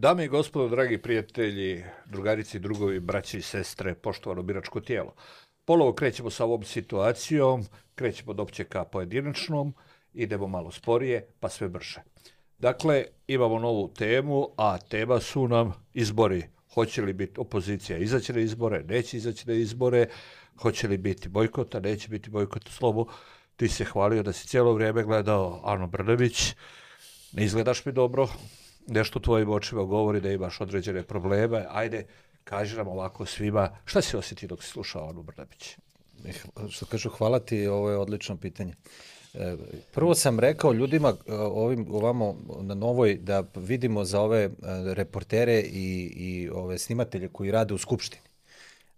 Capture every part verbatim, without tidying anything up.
Dame i gospodo, dragi prijatelji, drugarici i drugovi, braći i sestre, poštovano biračko tijelo. Polovo krećemo sa ovom situacijom, krećemo od opće ka pojedinačnom, idemo malo sporije, pa sve brže. Dakle, imamo novu temu, a tema su nam izbori. Hoće li biti opozicija izaći na izbore, neće izaći na izbore, hoće li biti bojkota, neće biti bojkota. Slobo, ti se hvalio da si cijelo vrijeme gledao Anu Brnabić, ne izgledaš mi dobro, nešto tvojim očima govori da imaš određene probleme. Ajde, kaži nam ovako svima, šta si osjetio dok si slušao Anu Brnabić? Što kažu, hvala ti, ovo je odlično pitanje. Prvo sam rekao ljudima ovim ovamo na Novoj da vidimo za ove reportere i, i ove snimatelje koji rade u Skupštini.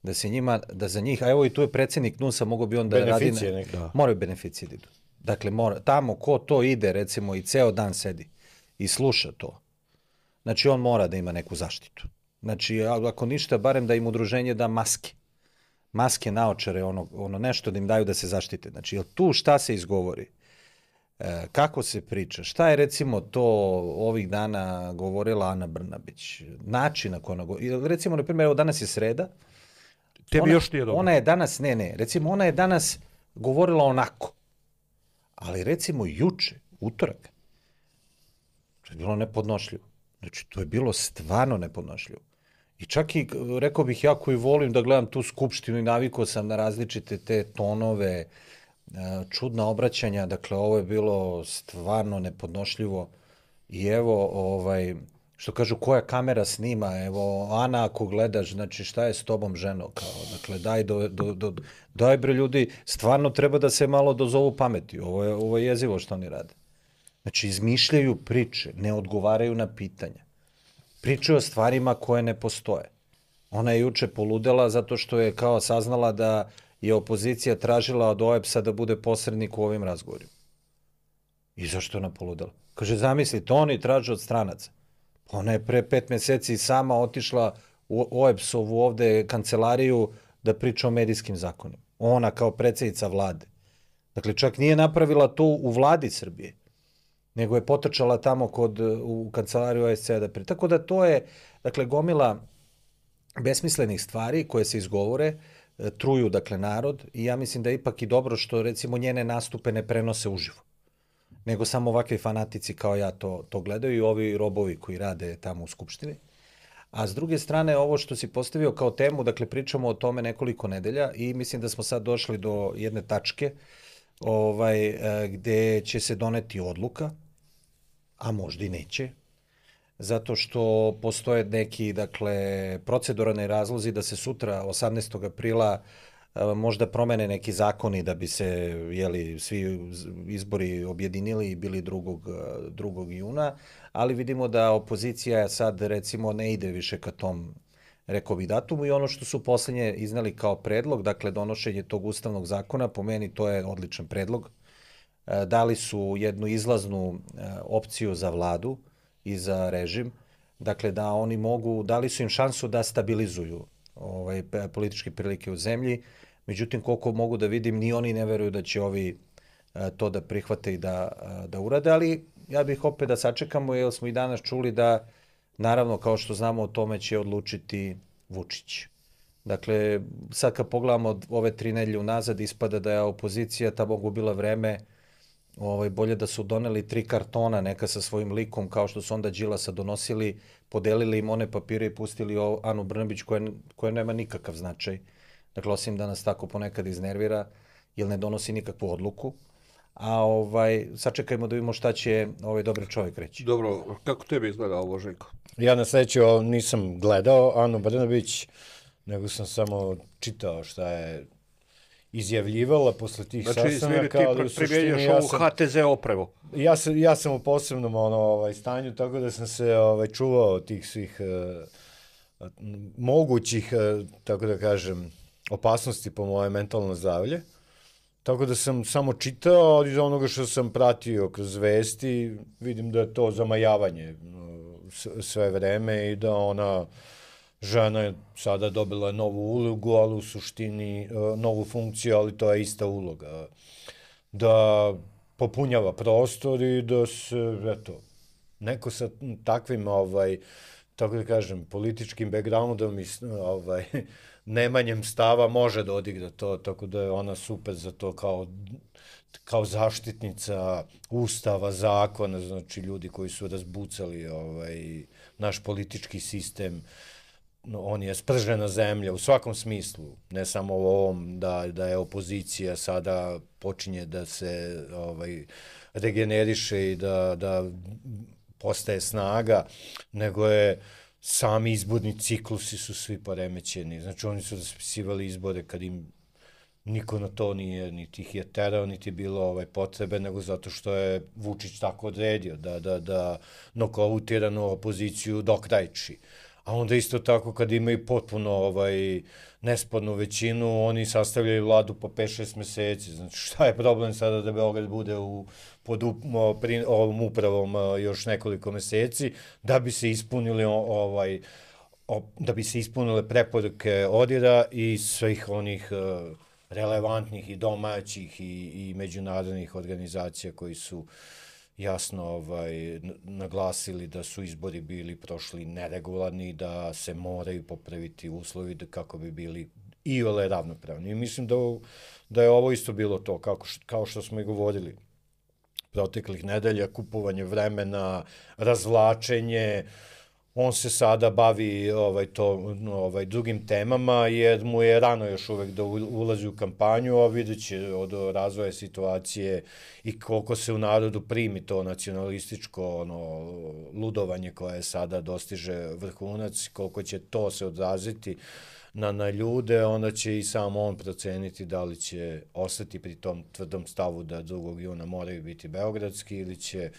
Da se njima, da za njih, a evo i tu je predsjednik N U S-a, mogo bi on da radi... Na, moraju beneficije da idu. Dakle, mora, tamo ko to ide, recimo, i ceo dan sedi i sluša to, znači on mora da ima neku zaštitu. Znači, ako ništa, barem da im udruženje da maske. Maske, naočare, ono, ono nešto da im daju da se zaštite. Znači, jel tu šta se izgovori? E, kako se priča? Šta je, recimo, to ovih dana govorila Ana Brnabić? Način na koji ona govori. Recimo, na primjer, evo danas je sreda. Tebi još nije dobro. Ona je danas, ne, ne, recimo, ona je danas govorila onako. Ali, recimo, juče, utorak, to je bilo nepodnošljivo. Znači, to je bilo stvarno nepodnošljivo. I čak i, rekao bih, ja koji volim da gledam tu skupštinu i navikao sam na različite te tonove, čudna obraćanja, dakle, ovo je bilo stvarno nepodnošljivo. I evo, ovaj, što kažu, koja kamera snima, evo, Ana, ako gledaš, znači, šta je s tobom, ženo, kao, dakle, daj, do, do, do, daj bre, ljudi, stvarno treba da se malo dozovu pameti, ovo je, ovo je jezivo što oni rade. Znači, izmišljaju priče, ne odgovaraju na pitanja. Pričaju o stvarima koje ne postoje. Ona je juče poludela zato što je kao saznala da je opozicija tražila od O E B S-a da bude posrednik u ovim razgovorima. I zašto je ona poludela? Kaže, zamislite, oni traže od stranaca. Pa ona je pre pet meseci sama otišla u O E B S-ovu ovde kancelariju da priča o medijskim zakonima. Ona kao predsjednica vlade. Dakle, čak nije napravila to u vladi Srbije, nego je potrčala tamo kod, u kancelariju O E S C-a da pri... Tako da to je, dakle, gomila besmislenih stvari koje se izgovore, truju, dakle, narod, i ja mislim da je ipak i dobro što, recimo, njene nastupe ne prenose uživo, nego samo ovakvi fanatici kao ja to, to gledaju i ovi robovi koji rade tamo u Skupštini. A s druge strane, ovo što si postavio kao temu, dakle, pričamo o tome nekoliko nedelja i mislim da smo sad došli do jedne tačke ovaj, gde će se doneti odluka, a možda i neće, zato što postoje neki, dakle, proceduralni razlozi da se sutra, osamnaestog aprila, možda promene neki zakoni da bi se, jeli, svi izbori objedinili i bili drugog juna, ali vidimo da opozicija sad, recimo, ne ide više ka tom, rekao bih, datumu, i ono što su poslednje iznali kao predlog, dakle, donošenje tog ustavnog zakona, po meni to je odličan predlog. Dali su jednu izlaznu opciju za vladu i za režim, dakle, da oni mogu, dali su im šansu da stabilizuju ovaj, političke prilike u zemlji, međutim, koliko mogu da vidim, ni oni ne veruju da će ovi to da prihvate i da, da urade, ali ja bih opet da sačekamo, jer smo i danas čuli da, naravno, kao što znamo, o tome će odlučiti Vučić. Dakle, sad kad pogledamo ove tri nedelje unazad, ispada da je opozicija tamo gubila vreme, ovaj, bolje da su doneli tri kartona neka sa svojim likom, kao što su onda Đilasa donosili, podelili im one papire i pustili Anu Brnabić, koja, koja nema nikakav značaj. Dakle, osim da nas tako ponekad iznervira, jer ne donosi nikakvu odluku. A ovaj, sačekajmo da vidimo šta će ovaj dobri čovjek reći. Dobro, kako tebi izgleda ovo, Željko? Ja na sreću nisam gledao Anu Brnabić, nego sam samo čitao šta je izjavljivala posle tih znači, sastanaka. Znači, ti primjenjaš ja ovu H T Z oprevu. Ja sam, ja sam u posebnom ono, ovaj, stanju, tako da sam se ovaj, čuvao tih svih uh, mogućih, uh, tako da kažem, opasnosti po moje mentalno zdravlje. Tako da sam samo čitao, ali iz onoga što sam pratio kroz vesti, vidim da je to zamajavanje uh, sve vreme i da ona... Žena je sada dobila novu ulogu, ali u suštini novu funkciju, ali to je ista uloga. Da popunjava prostor i da se, eto, neko sa takvim, ovaj, tako da kažem, političkim backgroundom i ovaj, nemanjem stava može da odigra to, tako da je ona super za to kao, kao zaštitnica ustava, zakona, znači ljudi koji su razbucali ovaj, naš politički sistem, no, on je spržena zemlja u svakom smislu, ne samo u ovom da, da je opozicija sada počinje da se ovaj, regeneriše i da, da postaje snaga, nego je sami izborni ciklusi su svi poremećeni. Znači oni su raspisivali izbore kad im niko na to nije, niti ih je terao, niti je bilo ovaj, potrebe, nego zato što je Vučić tako odredio da, da, da nokautiranu opoziciju dokrajči. A onda isto tako kad imaju potpuno ovaj, nespornu većinu, oni sastavljaju vladu po pet šest meseci. Znači šta je problem sada da Beograd bude u, pod up, pri, ovom upravom još nekoliko meseci, da bi se ispunili ovaj, o, da bi se ispunile preporuke ODIR-a i svih onih uh, relevantnih i domaćih i, i međunarodnih organizacija koji su jasno ovaj, naglasili da su izbori bili prošli neregularni, da se moraju popraviti uslovi da, kako bi bili i ole ravnopravni. I mislim da, da je ovo isto bilo to, kako, kao što smo i govorili proteklih nedelja, kupovanje vremena, razvlačenje. On se sada bavi ovaj, to, ovaj, drugim temama, jer mu je rano još uvek da ulazi u kampanju, a vidjet će od razvoja situacije i koliko se u narodu primi to nacionalističko ono, ludovanje koje sada dostiže vrhunac, koliko će to se odraziti na, na ljude, onda će i sam on proceniti da li će ostati pri tom tvrdom stavu da drugog juna moraju biti beogradski ili će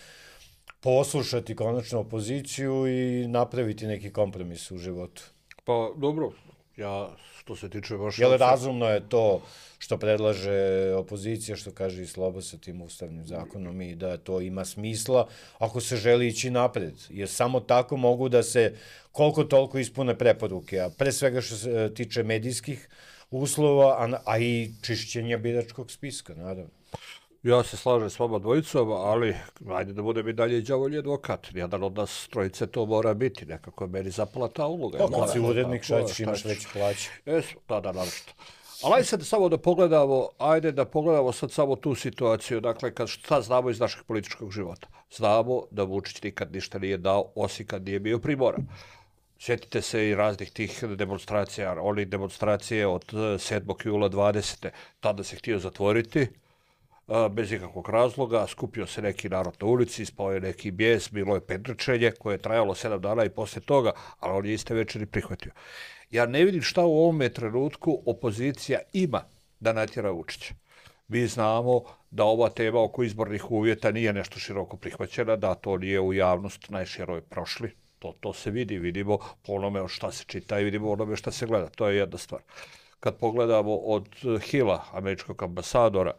poslušati konačno opoziciju i napraviti neki kompromis u životu. Pa dobro, ja što se tiče vaše... Jel razumno je to što predlaže opozicija, što kaže i Sloba sa tim ustavnim zakonom i da to ima smisla ako se želi ići napred. Jer samo tako mogu da se koliko toliko ispune preporuke, a pre svega što se tiče medijskih uslova, a, a i čišćenja biračkog spiska, naravno. Ja se slažem s vama dvojicom, ali ajde da budem i dalje đavolji advokat. Jedan od nas trojice to mora biti, nekako je meni zapala ta uloga. Pa kad si urednik, šta ćeš, imaš veći plaće. Jesu, da, da, naravno. Ali ajde sad samo da pogledamo, ajde da pogledamo sad samo tu situaciju, dakle, kad šta znamo iz našeg političkog života. Znamo da Vučić nikad ništa nije dao, osim kad nije bio primoran. Sjetite se i raznih tih demonstracija, onih demonstracije od sedmog jula dvadesete Tada se htio zatvoriti, bez ikakvog razloga, skupio se neki narod na ulici, ispao je neki bijes, bilo je pendrečenje koje je trajalo sedam dana i posle toga, ali on je iste večeri prihvatio. Ja ne vidim šta u ovome trenutku opozicija ima da natjera Vučića. Mi znamo da ova tema oko izbornih uvjeta nije nešto široko prihvaćena, da to nije u javnost najširoj prošli. To, to se vidi, vidimo po onome šta se čita i vidimo onome šta se gleda. To je jedna stvar. Kad pogledamo od Hila, američkog ambasadora,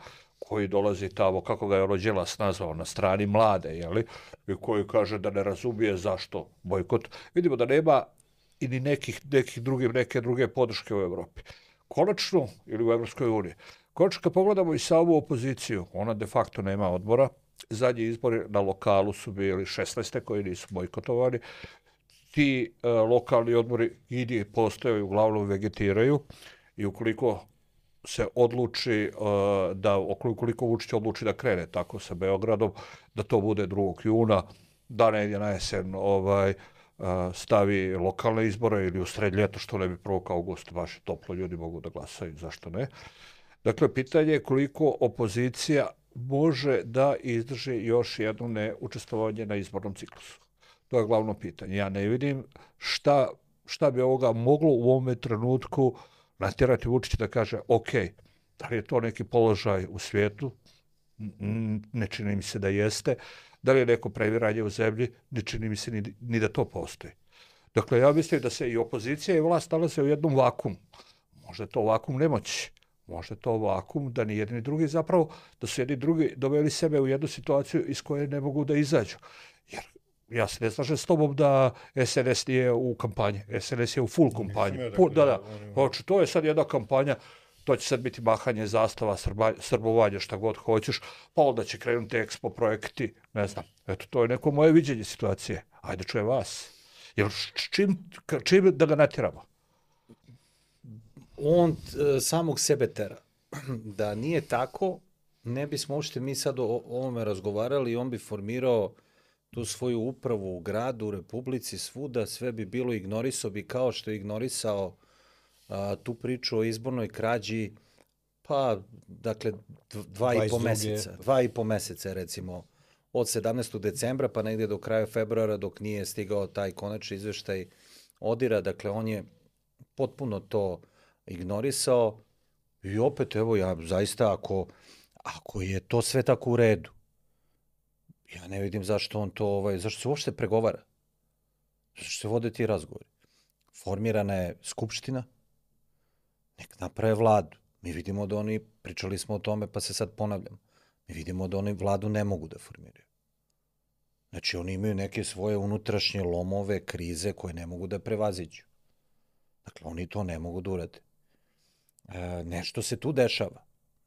koji dolazi tamo, kako ga je ono Đilas nazvao, na strani mlade, jeli, i koji kaže da ne razumije zašto bojkot, vidimo da nema i ni nekih, nekih drugih, neke druge podrške u Evropi. Konačno, ili u Evropskoj uniji, konačno kad pogledamo i samu opoziciju, ona de facto nema odbora, zadnji izbori na lokalu su bili šesnaeste koji nisu bojkotovani, ti e, lokalni odbori idi postoje, uglavnom vegetiraju i ukoliko se odluči uh, da, ukoliko Vučić odluči da krene tako sa Beogradom, da to bude drugog juna, da negdje na jesen ovaj, uh, stavi lokalne izbore ili u sred ljeta, što ne bi prvog augusta, baš toplo, ljudi mogu da glasaju, zašto ne. Dakle, pitanje je koliko opozicija može da izdrži još jedno neučestvovanje na izbornom ciklusu. To je glavno pitanje. Ja ne vidim šta, šta bi ovoga moglo u ovome trenutku natjerati Vučića da kaže, ok, da li je to neki položaj u svijetu? Ne čini mi se da jeste. Da li je neko previranje u zemlji? Ne čini mi se ni, ni da to postoji. Dakle, ja mislim da se i opozicija i vlast nalaze u jednom vakumu. Možda je to vakum nemoći. Možda je to vakum da ni jedni drugi zapravo, da su jedni drugi doveli sebe u jednu situaciju iz koje ne mogu da izađu. Jer ja se ne slažem s tobom da es en es nije u kampanji. es en es je u full kampanji. Da, da. Hoću, to je sad jedna kampanja, to će sad biti mahanje zastava, srba, srbovanje, šta god hoćeš, pa onda će krenuti ekspo projekti, ne znam. Eto, to je neko moje viđenje situacije. Ajde, čujem vas. Jer čim, čim da ga natjeramo? On e, samog sebe tera. Da nije tako, ne bismo uopšte mi sad o ovome razgovarali i on bi formirao tu svoju upravu u gradu, u Republici, svuda, sve bi bilo, ignorisao bi kao što je ignorisao a, tu priču o izbornoj krađi, pa, dakle, dva i po meseca. Dva i po meseca, recimo, od sedamnaestog decembra pa negdje do kraja februara, dok nije stigao taj konačni izveštaj Odira. Dakle, on je potpuno to ignorisao i opet, evo, ja zaista, ako, ako je to sve tako u redu, ja ne vidim zašto on to, ovaj, zašto se uopšte pregovara. Zašto se vode ti razgovori. Formirana je skupština, nek naprave vladu. Mi vidimo da oni, pričali smo o tome, pa se sad ponavljam, mi vidimo da oni vladu ne mogu da formiraju. Znači, oni imaju neke svoje unutrašnje lomove, krize koje ne mogu da prevaziđu. Dakle, oni to ne mogu da urade. E, nešto se tu dešava.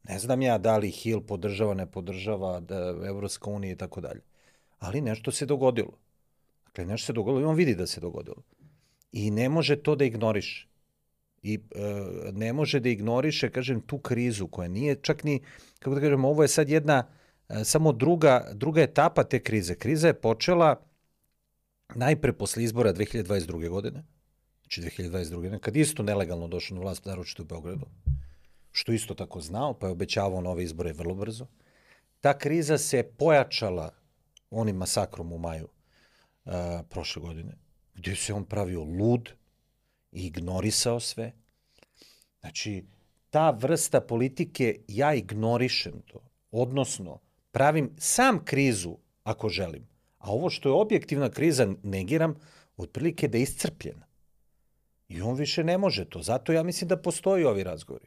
Ne znam ja da li Hill podržava, ne podržava, da Evropska unija i tako dalje. Ali nešto se dogodilo. Dakle, nešto se dogodilo i on vidi da se dogodilo. I ne može to da ignoriše. I e, ne može da ignoriše, kažem, tu krizu koja nije čak ni, kako da kažem, ovo je sad jedna, e, samo druga, druga etapa te krize. Kriza je počela najpre posle izbora dve hiljade dvadeset druge. godine, znači dve hiljade dvadeset druge. godine, kad isto nelegalno došao na vlast, naročito u Beogradu, što isto tako znao, pa je obećavao nove izbore vrlo brzo. Ta kriza se pojačala onim masakrom u maju uh, prošle godine, gdje se on pravio lud i ignorisao sve. Znači, ta vrsta politike, ja ignorišem to, odnosno pravim sam krizu ako želim, a ovo što je objektivna kriza negiram, otprilike da je iscrpljena. I on više ne može to. Zato ja mislim da postoji ovi razgovori.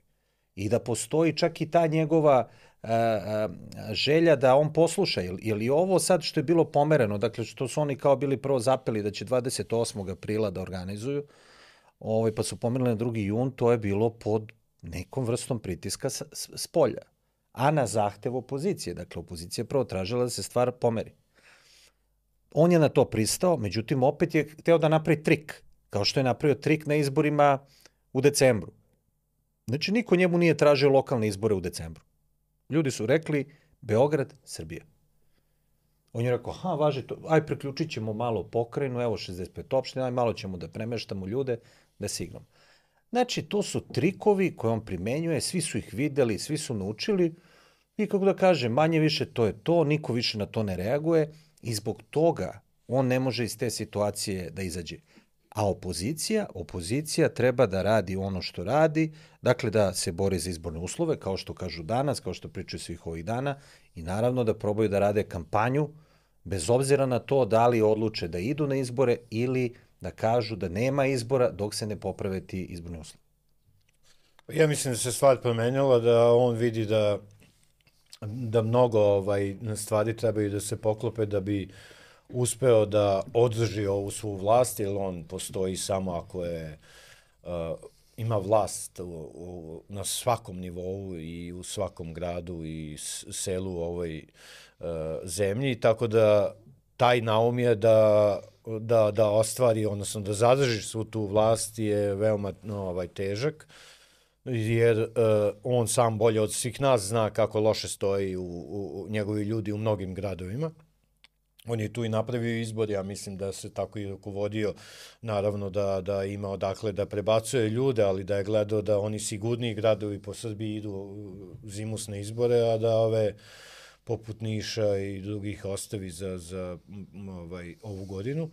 I da postoji čak i ta njegova a, a, želja da on posluša. Ili je ovo sad što je bilo pomereno, dakle što su oni kao bili prvo zapeli da će dvadeset osmog aprila da organizuju, ovaj, pa su pomerili na drugi jun, to je bilo pod nekom vrstom pritiska s, s, s polja. A na zahtev opozicije. Dakle, opozicija prvo tražila da se stvar pomeri. On je na to pristao, međutim, opet je hteo da napravi trik, kao što je napravio trik na izborima u decembru. Znači, niko njemu nije tražio lokalne izbore u decembru. Ljudi su rekli Beograd, Srbija. On je rekao, ha, važi to, aj preključit ćemo malo pokrajinu, evo šezdeset pet opština, aj malo ćemo da premeštamo ljude, da se igramo. Znači, to su trikovi koje on primenjuje, svi su ih videli, svi su naučili i kako da kažem, manje više to je to, niko više na to ne reaguje i zbog toga on ne može iz te situacije da izađe. A opozicija, opozicija treba da radi ono što radi, dakle da se bori za izborne uslove, kao što kažu danas, kao što pričaju svih ovih dana, i naravno da probaju da rade kampanju, bez obzira na to da li odluče da idu na izbore ili da kažu da nema izbora dok se ne poprave ti izborni uslovi. Ja mislim da se stvar promenila, da on vidi da, da mnogo ovaj, stvari trebaju da se poklope da bi uspeo da održi ovu svu vlast, jer on postoji samo ako je, uh, ima vlast u, u, na svakom nivou i u svakom gradu i selu u ovoj uh, zemlji, tako da taj naum je da, da, da ostvari, odnosno da zadrži svu tu vlast je veoma no, ovaj, težak, jer uh, on sam bolje od svih nas zna kako loše stoji u, u, u njegovi ljudi u mnogim gradovima. On je tu i napravio izbor, ja mislim da se tako i rukovodio, naravno da, da ima odakle da prebacuje ljude, ali da je gledao da oni sigurniji gradovi po Srbiji idu zimusne izbore, a da ove poput Niša i drugih ostavi za, za ovaj, ovu godinu.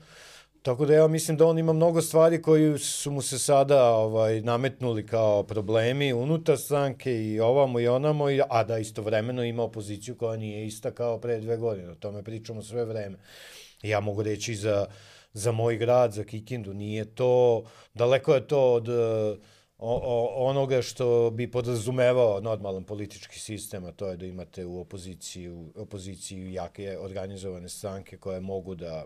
Tako da ja mislim da on ima mnogo stvari koji su mu se sada ovaj, nametnuli kao problemi unutar stranke i ovamo i onamo, a da istovremeno ima opoziciju koja nije ista kao pre dve godine. O tome pričamo sve vreme. Ja mogu reći za, za moj grad, za Kikindu, nije to, daleko je to od o, o, onoga što bi podrazumevao normalan politički sistem, a to je da imate u opoziciji, u opoziciji jake organizovane stranke koje mogu da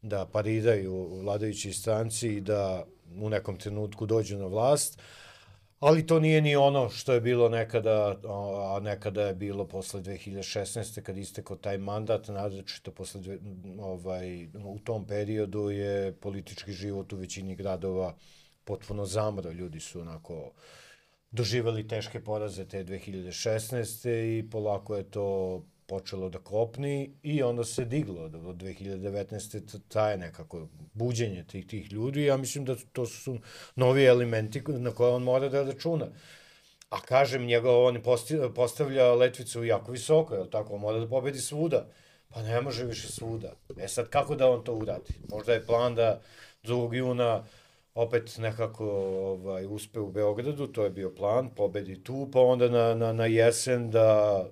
da pariraju vladajući stranci i da u nekom trenutku dođu na vlast. Ali to nije ni ono što je bilo nekada, a nekada je bilo posle dve hiljade šesnaeste. kad istekao taj mandat, naročito posle dve, ovaj, u tom periodu je politički život u većini gradova potpuno zamro. Ljudi su onako doživeli teške poraze te dve hiljade šesnaeste. i polako je to počelo da kopni i onda se diglo od dve hiljade devetnaeste. traje nekako buđenje tih, tih ljudi. Ja mislim da to su novi elementi na koje on mora da računa. A kažem, njega on postavlja letvicu jako visoko, je li tako? On mora da pobedi svuda. Pa ne može više svuda. E sad, kako da on to uradi? Možda je plan da drugog juna opet nekako ovaj, uspe u Beogradu, to je bio plan, pobedi tu, pa onda na, na, na jesen da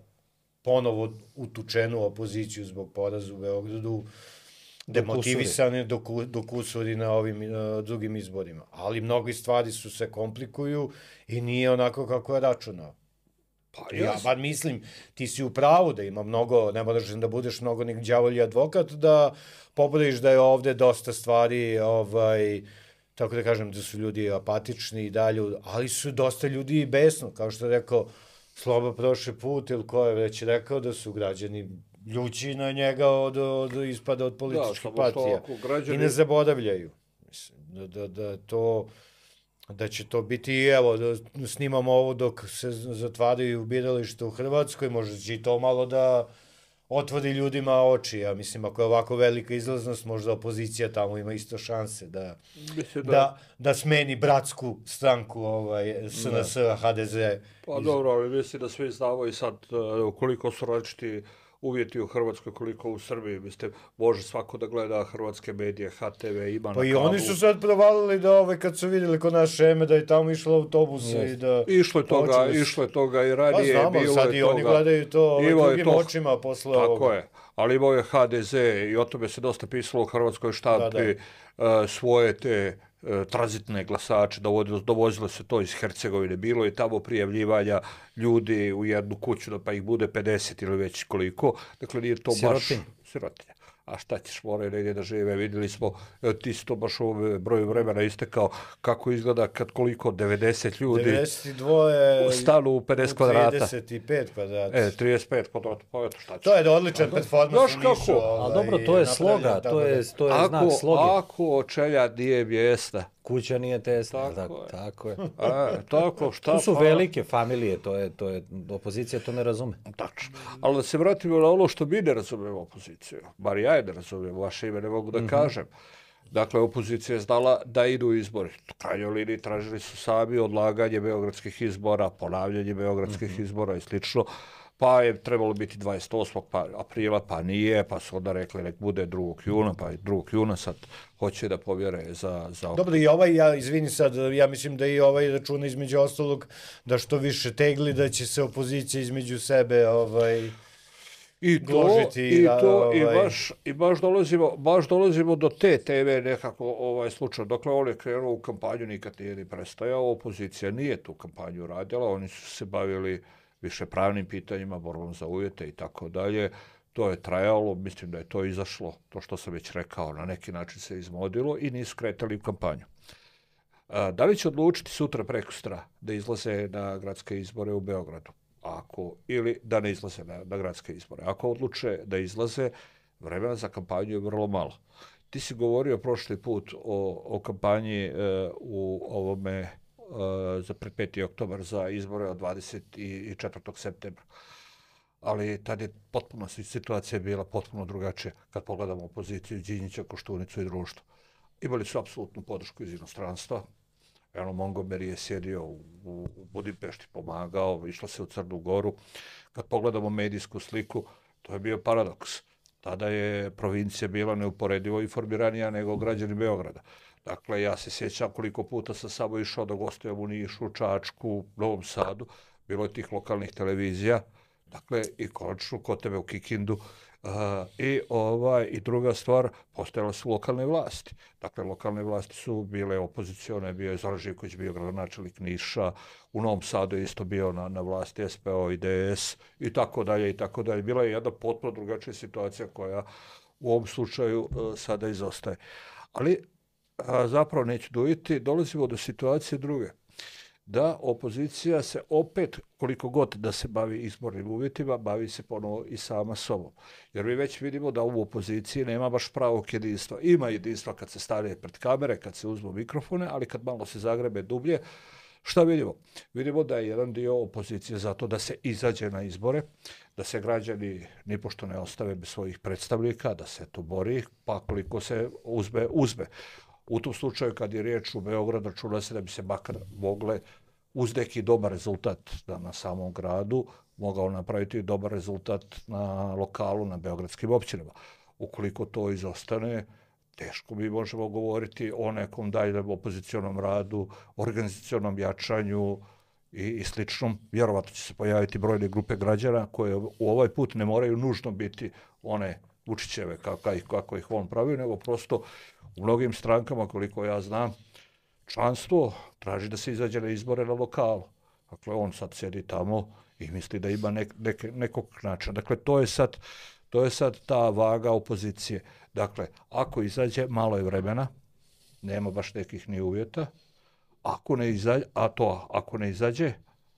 ponovo utučenu opoziciju zbog poraza u Beogradu, demotivisane dok usudi na ovim uh, drugim izborima. Ali mnogi stvari su se komplikuju i nije onako kako je računao. Pa ja bar mislim, ti si u pravu da ima mnogo, ne moraš da budeš mnogo nek đavolji advokat, da pobrodiš da je ovde dosta stvari, ovaj, tako da kažem, da su ljudi apatični i dalje, ali su dosta ljudi i besno, kao što je rekao Sloba prošli put, ili ko je već rekao da su građani ljući na njega od, od ispada od političkih da, partija. Građani... I ne zaboravljaju. Mislim, da, da, da, to, da će to biti, evo, da snimamo ovo dok se zatvaraju birališta u Hrvatskoj, možda će i to malo da otvori ljudima oči. Ja mislim, ako je ovako velika izlaznost, možda opozicija tamo ima isto šanse da, da... da, da smeni bratsku stranku ovaj, S N S, H D Z. Pa dobro, ali mislim da svi znamo i sad koliko su različiti uvjeti u Hrvatskoj, koliko u Srbiji. Mislite, može svako da gleda hrvatske medije, H T V ima pa na i kabu. Oni su sad provalili da ovaj, kad su vidjeli kod naše Eme da je tamo išlo autobus yes. i da... Išlo je toga, počeli... išlo je toga i radije. Pa znamo, sad i oni gledaju to ovaj, drugim to... očima posle Tako ovoga. Tako je, ali imao je H D Z i o tome se dosta pisalo u hrvatskoj štampi, da, da. Uh, svoje te tranzitne glasače, dovozilo se to iz Hercegovine, bilo je tamo prijavljivanja ljudi u jednu kuću, da pa ih bude pedeset ili već koliko, dakle nije to Sirotinja. baš sirotinja. A šta ćeš, moraju negdje da žive, vidjeli smo, ti si to baš u broju vremena istekao, kako izgleda kad koliko, devedeset ljudi devedeset dva stanu u pedeset kvadrata. trideset pet kvadrata. E, trideset pet kvadrata, pa eto šta ćeš. To je odličan performans u Nišu. Ali dobro, to je sloga, to je, to je ako, znak sloge. Ako očelja nije mjesta, kuća nije tesna, tako, tako, je. tako je. A, tako, šta tu su pa... velike familije, to je, to je, opozicija to ne razume. Tačno. Ali da se vratimo na ono što mi ne razumemo opoziciju, bar ja je ne razumijem, vaše ime ne mogu da mm-hmm. kažem. Dakle, opozicija je znala da idu izbori. U krajnjoj liniji tražili su sami odlaganje beogradskih izbora, ponavljanje beogradskih mm-hmm. izbora i slično. Pa je trebalo biti dvadeset osmog aprila, pa nije, pa su onda rekli nek bude drugog juna, pa i drugog juna sad hoće da povjere za... za... Dobro, i ovaj, ja izvini sad, ja mislim da i ovaj računa između ostalog da što više tegli, da će se opozicija između sebe ovaj... I to, i, to ovaj... i, baš, i baš, dolazimo, baš dolazimo do te teme nekako ovaj slučaj. Dokle on je krenuo u kampanju, nikad nije ni prestajao, opozicija nije tu kampanju radila, oni su se bavili više pravnim pitanjima, borbom za uvjete i tako dalje. To je trajalo, mislim da je to izašlo, to što sam već rekao, na neki način se izmodilo i nisu kretali u kampanju. A, da li će odlučiti sutra prekustra da izlaze na gradske izbore u Beogradu? Ako, ili da ne izlaze na, na gradske izbore. Ako odluče da izlaze, vremena za kampanju je vrlo malo. Ti si govorio prošli put o, o kampanji e, u ovome za pred peti oktobar za izbore od dvadeset četvrtog septembra. Ali tad je potpuno situacija bila potpuno drugačija kad pogledamo opoziciju Đinđića, Koštunicu i društvo. Imali su apsolutnu podršku iz inostranstva. Eno, Montgomery je sjedio u, u Budimpešti, pomagao, išlo se u Crnu Goru. Kad pogledamo medijsku sliku, to je bio paradoks. Tada je provincija bila neuporedivo informiranija nego građani Beograda. Dakle, ja se sjećam koliko puta sam samo išao da gostujem u Nišu, Čačku, Novom Sadu. Bilo je tih lokalnih televizija. Dakle, i konačno kod tebe u Kikindu. Uh, i, ovaj, I druga stvar, postojale su lokalne vlasti. Dakle, lokalne vlasti su bile opozicione, bio je Zoran Živković, bio gradonačelnik Niša, u Novom Sadu je isto bio na, na vlasti S P O i D S i tako dalje i tako dalje. Bila je jedna potpuno drugačija situacija koja u ovom slučaju uh, sada izostaje. Ali a, zapravo neću dojiti, dolazimo do situacije druge. da opozicija se opet, koliko god da se bavi izbornim uvjetima, bavi se ponovo i sama sobom. Jer mi već vidimo da u opoziciji nema baš pravog jedinstva. Ima jedinstva kad se stavlja pred kamere, kad se uzmu mikrofone, ali kad malo se zagrebe dublje, šta vidimo? Vidimo da je jedan dio opozicije zato da se izađe na izbore, da se građani nipošto ne ostave bez svojih predstavnika, da se to bori, pa koliko se uzme, uzme. U tom slučaju, kad je riječ u Beogradu, računa se da bi se makar mogle uz neki dobar rezultat da na samom gradu mogao napraviti dobar rezultat na lokalu, na beogradskim općinama. Ukoliko to izostane, teško mi možemo govoriti o nekom daljem opozicionom radu, organizacionom jačanju i, i sličnom. Vjerovatno će se pojaviti brojne grupe građana koje u ovaj put ne moraju nužno biti one Vučićeve kako, kako ih on pravi, nego prosto u mnogim strankama, koliko ja znam, članstvo traži da se izađe na izbore na lokalu. Dakle, on sad sjedi tamo i misli da ima nek, nek, nekog načina. Dakle, to je sad, to je sad ta vaga opozicije. Dakle, ako izađe, malo je vremena, nema baš nekih ni uvjeta. Ako ne izađe, a to ako ne izađe,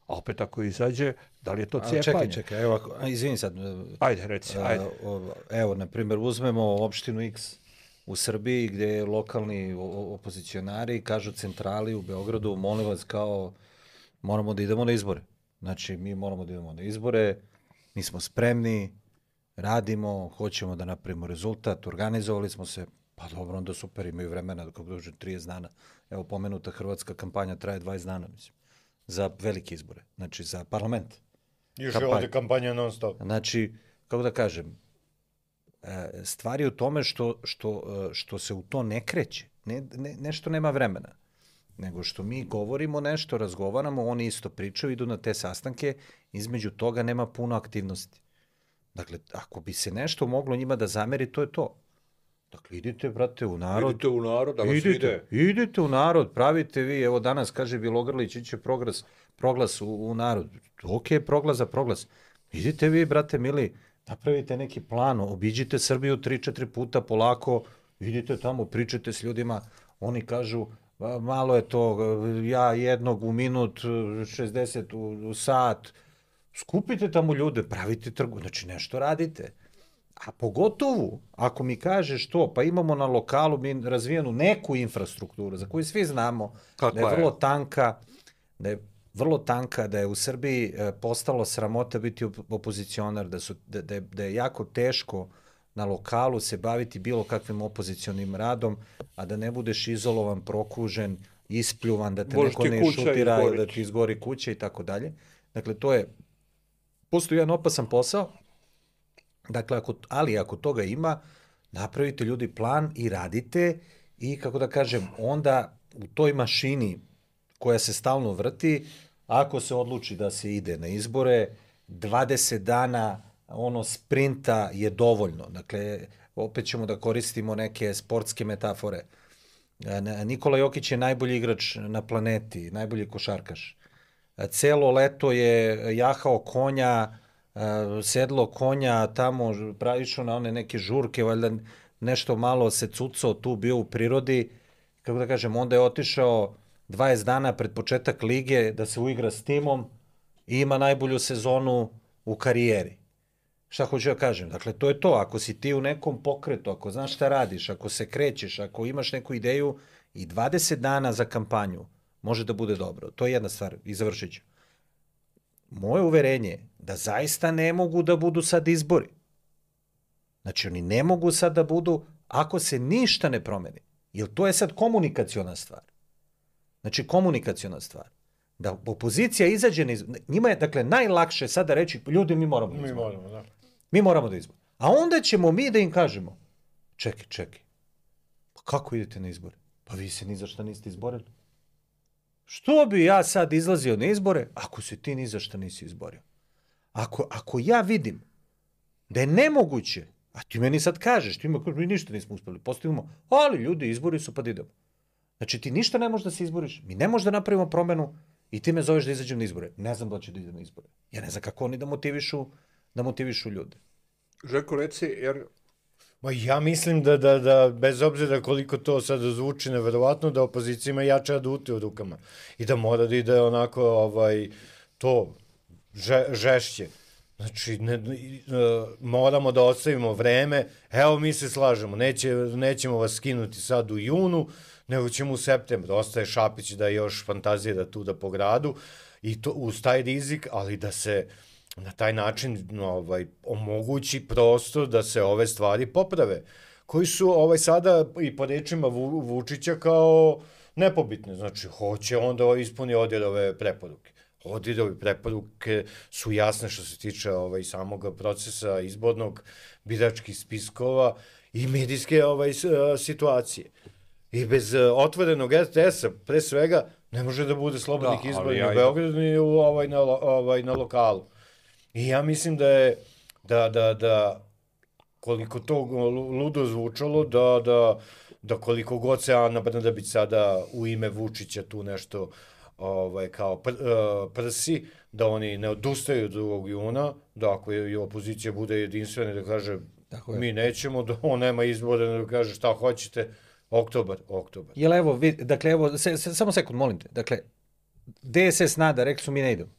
a opet ako izađe, da li je to cijepanje? Čekaj, čekaj, evo, izvini sad. Ajde, reci, ajde. Evo, na primjer, uzmemo opštinu X u Srbiji, gdje lokalni opozicionari kažu centrali u Beogradu, molim vas, kao, moramo da idemo na izbore. Znači, mi moramo da idemo na izbore, mi smo spremni, radimo, hoćemo da napravimo rezultat, organizovali smo se, pa dobro, onda super, imaju vremena, kako dođe trideset dana. Evo, pomenuta hrvatska kampanja traje dvadeset dana, mislim, za velike izbore, znači za parlament. Još je ovdje kampanja non stop. Znači, kako da kažem, stvar je u tome što, što, što se u to ne kreće, ne, ne, nešto nema vremena, nego što mi govorimo nešto, razgovaramo, oni isto pričaju, idu na te sastanke, između toga nema puno aktivnosti. Dakle, ako bi se nešto moglo njima da zameri, to je to. Dakle, idite, brate, u narod. Idite u narod, da vas idite, ide. Idite u narod, pravite vi, evo danas kaže Bilogrlić, iće proglas, proglas u, u narod. Ok, proglas za proglas. Idite vi, brate, mili, napravite neki plan, obiđite Srbiju tri, četiri puta polako, idite tamo, pričajte s ljudima, oni kažu, malo je to, ja jednog u minut, šezdeset u, u sat, skupite tamo ljude, pravite trgu, znači nešto radite. A pogotovo, ako mi kažeš to, pa imamo na lokalu mi razvijenu neku infrastrukturu, za koju svi znamo, Kakva da je vrlo tanka, da je vrlo tanka, da je u Srbiji postalo sramota biti opozicionar, da, su, da, da, je, da je jako teško na lokalu se baviti bilo kakvim opozicionim radom, a da ne budeš izolovan, prokužen, ispljuvan, da te Bož neko ti ne šutira, da ti izgori kuća i tako dalje. Dakle, to je, postoji jedan opasan posao, dakle, ako, ali ako toga ima, napravite ljudi plan i radite i, kako da kažem, onda u toj mašini koja se stalno vrti, ako se odluči da se ide na izbore, dvadeset dana ono sprinta je dovoljno. Dakle, opet ćemo da koristimo neke sportske metafore. Nikola Jokić je najbolji igrač na planeti, najbolji košarkaš. Celo leto je jahao konja, sedlo konja, tamo išao na one neke žurke, valjda nešto malo se cucao tu, bio u prirodi. Kako da kažem, onda je otišao dvadeset dana pred početak lige da se uigra s timom i ima najbolju sezonu u karijeri. Šta hoću da kažem? Dakle, to je to. Ako si ti u nekom pokretu, ako znaš šta radiš, ako se krećeš, ako imaš neku ideju, i dvadeset dana za kampanju može da bude dobro. To je jedna stvar i završit ću. Moje uverenje je da zaista ne mogu da budu sad izbori. Znači, oni ne mogu sad da budu ako se ništa ne promeni. Jer to je sad komunikaciona stvar. Znači, komunikaciona stvar. Da opozicija izađe na izbor. Njima je, dakle, najlakše sada reći, ljudi, mi moramo da izbor. Mi moramo, da. Mi moramo da izbor. A onda ćemo mi da im kažemo, čekaj, čekaj, pa kako idete na izbore? Pa vi se ni za šta niste izborili. Što bi ja sad izlazio na izbore, ako se ti ni za šta nisi izborio? Ako, ako ja vidim da je nemoguće, a ti meni sad kažeš, ti mi ništa nismo uspeli, postavimo, ali ljudi, izbori su, pa da idemo. Znači, ti ništa ne možeš da se izboriš, mi ne možeš da napravimo promenu i ti me zoveš da izađem na izbore. Ne znam da će da idem na izbore. Ja ne znam kako oni da motivišu, da motivišu ljude. Željko, reci, jer Ma ja mislim da, da, da, bez obzira koliko to sad zvuči neverovatno, da opozicija ima jače adute u rukama i da mora da ide onako, ovaj, to, že, žešće. Znači, ne, moramo da ostavimo vreme, evo mi se slažemo, neće, nećemo vas skinuti sad u junu, nego ćemo u septembru. Ostaje Šapić da još fantazira tu da po gradu i to uz taj rizik, ali da se na taj način ovaj, omogući prostor da se ove stvari poprave, koji su ovaj, sada i po rečima Vu, Vučića kao nepobitne. Znači, hoće onda ispuni Odirove preporuke. Odirove preporuke su jasne što se tiče ovaj, samog procesa izbornog, biračkih spiskova i medijske ovaj, situacije. I bez otvorenog er te esa, pre svega, ne može da bude slobodnih da, izbora ja, u Beogradu ni u, ovaj, na, ovaj, na lokalu. I ja mislim da je, da, da, da koliko to ludo zvučalo, da, da, da koliko god se Ana Brnabić sada u ime Vučića tu nešto ovaj, kao pr, prsi, da oni ne odustaju od drugog juna, da ako je opozicija bude jedinstvena da kaže mi nećemo, da on nema izbora, da kaže šta hoćete, oktobar, oktobar. Jel evo, vid, dakle, evo, se, se, samo sekund, molim te, dakle, de es es nada, rekli su mi ne idemo.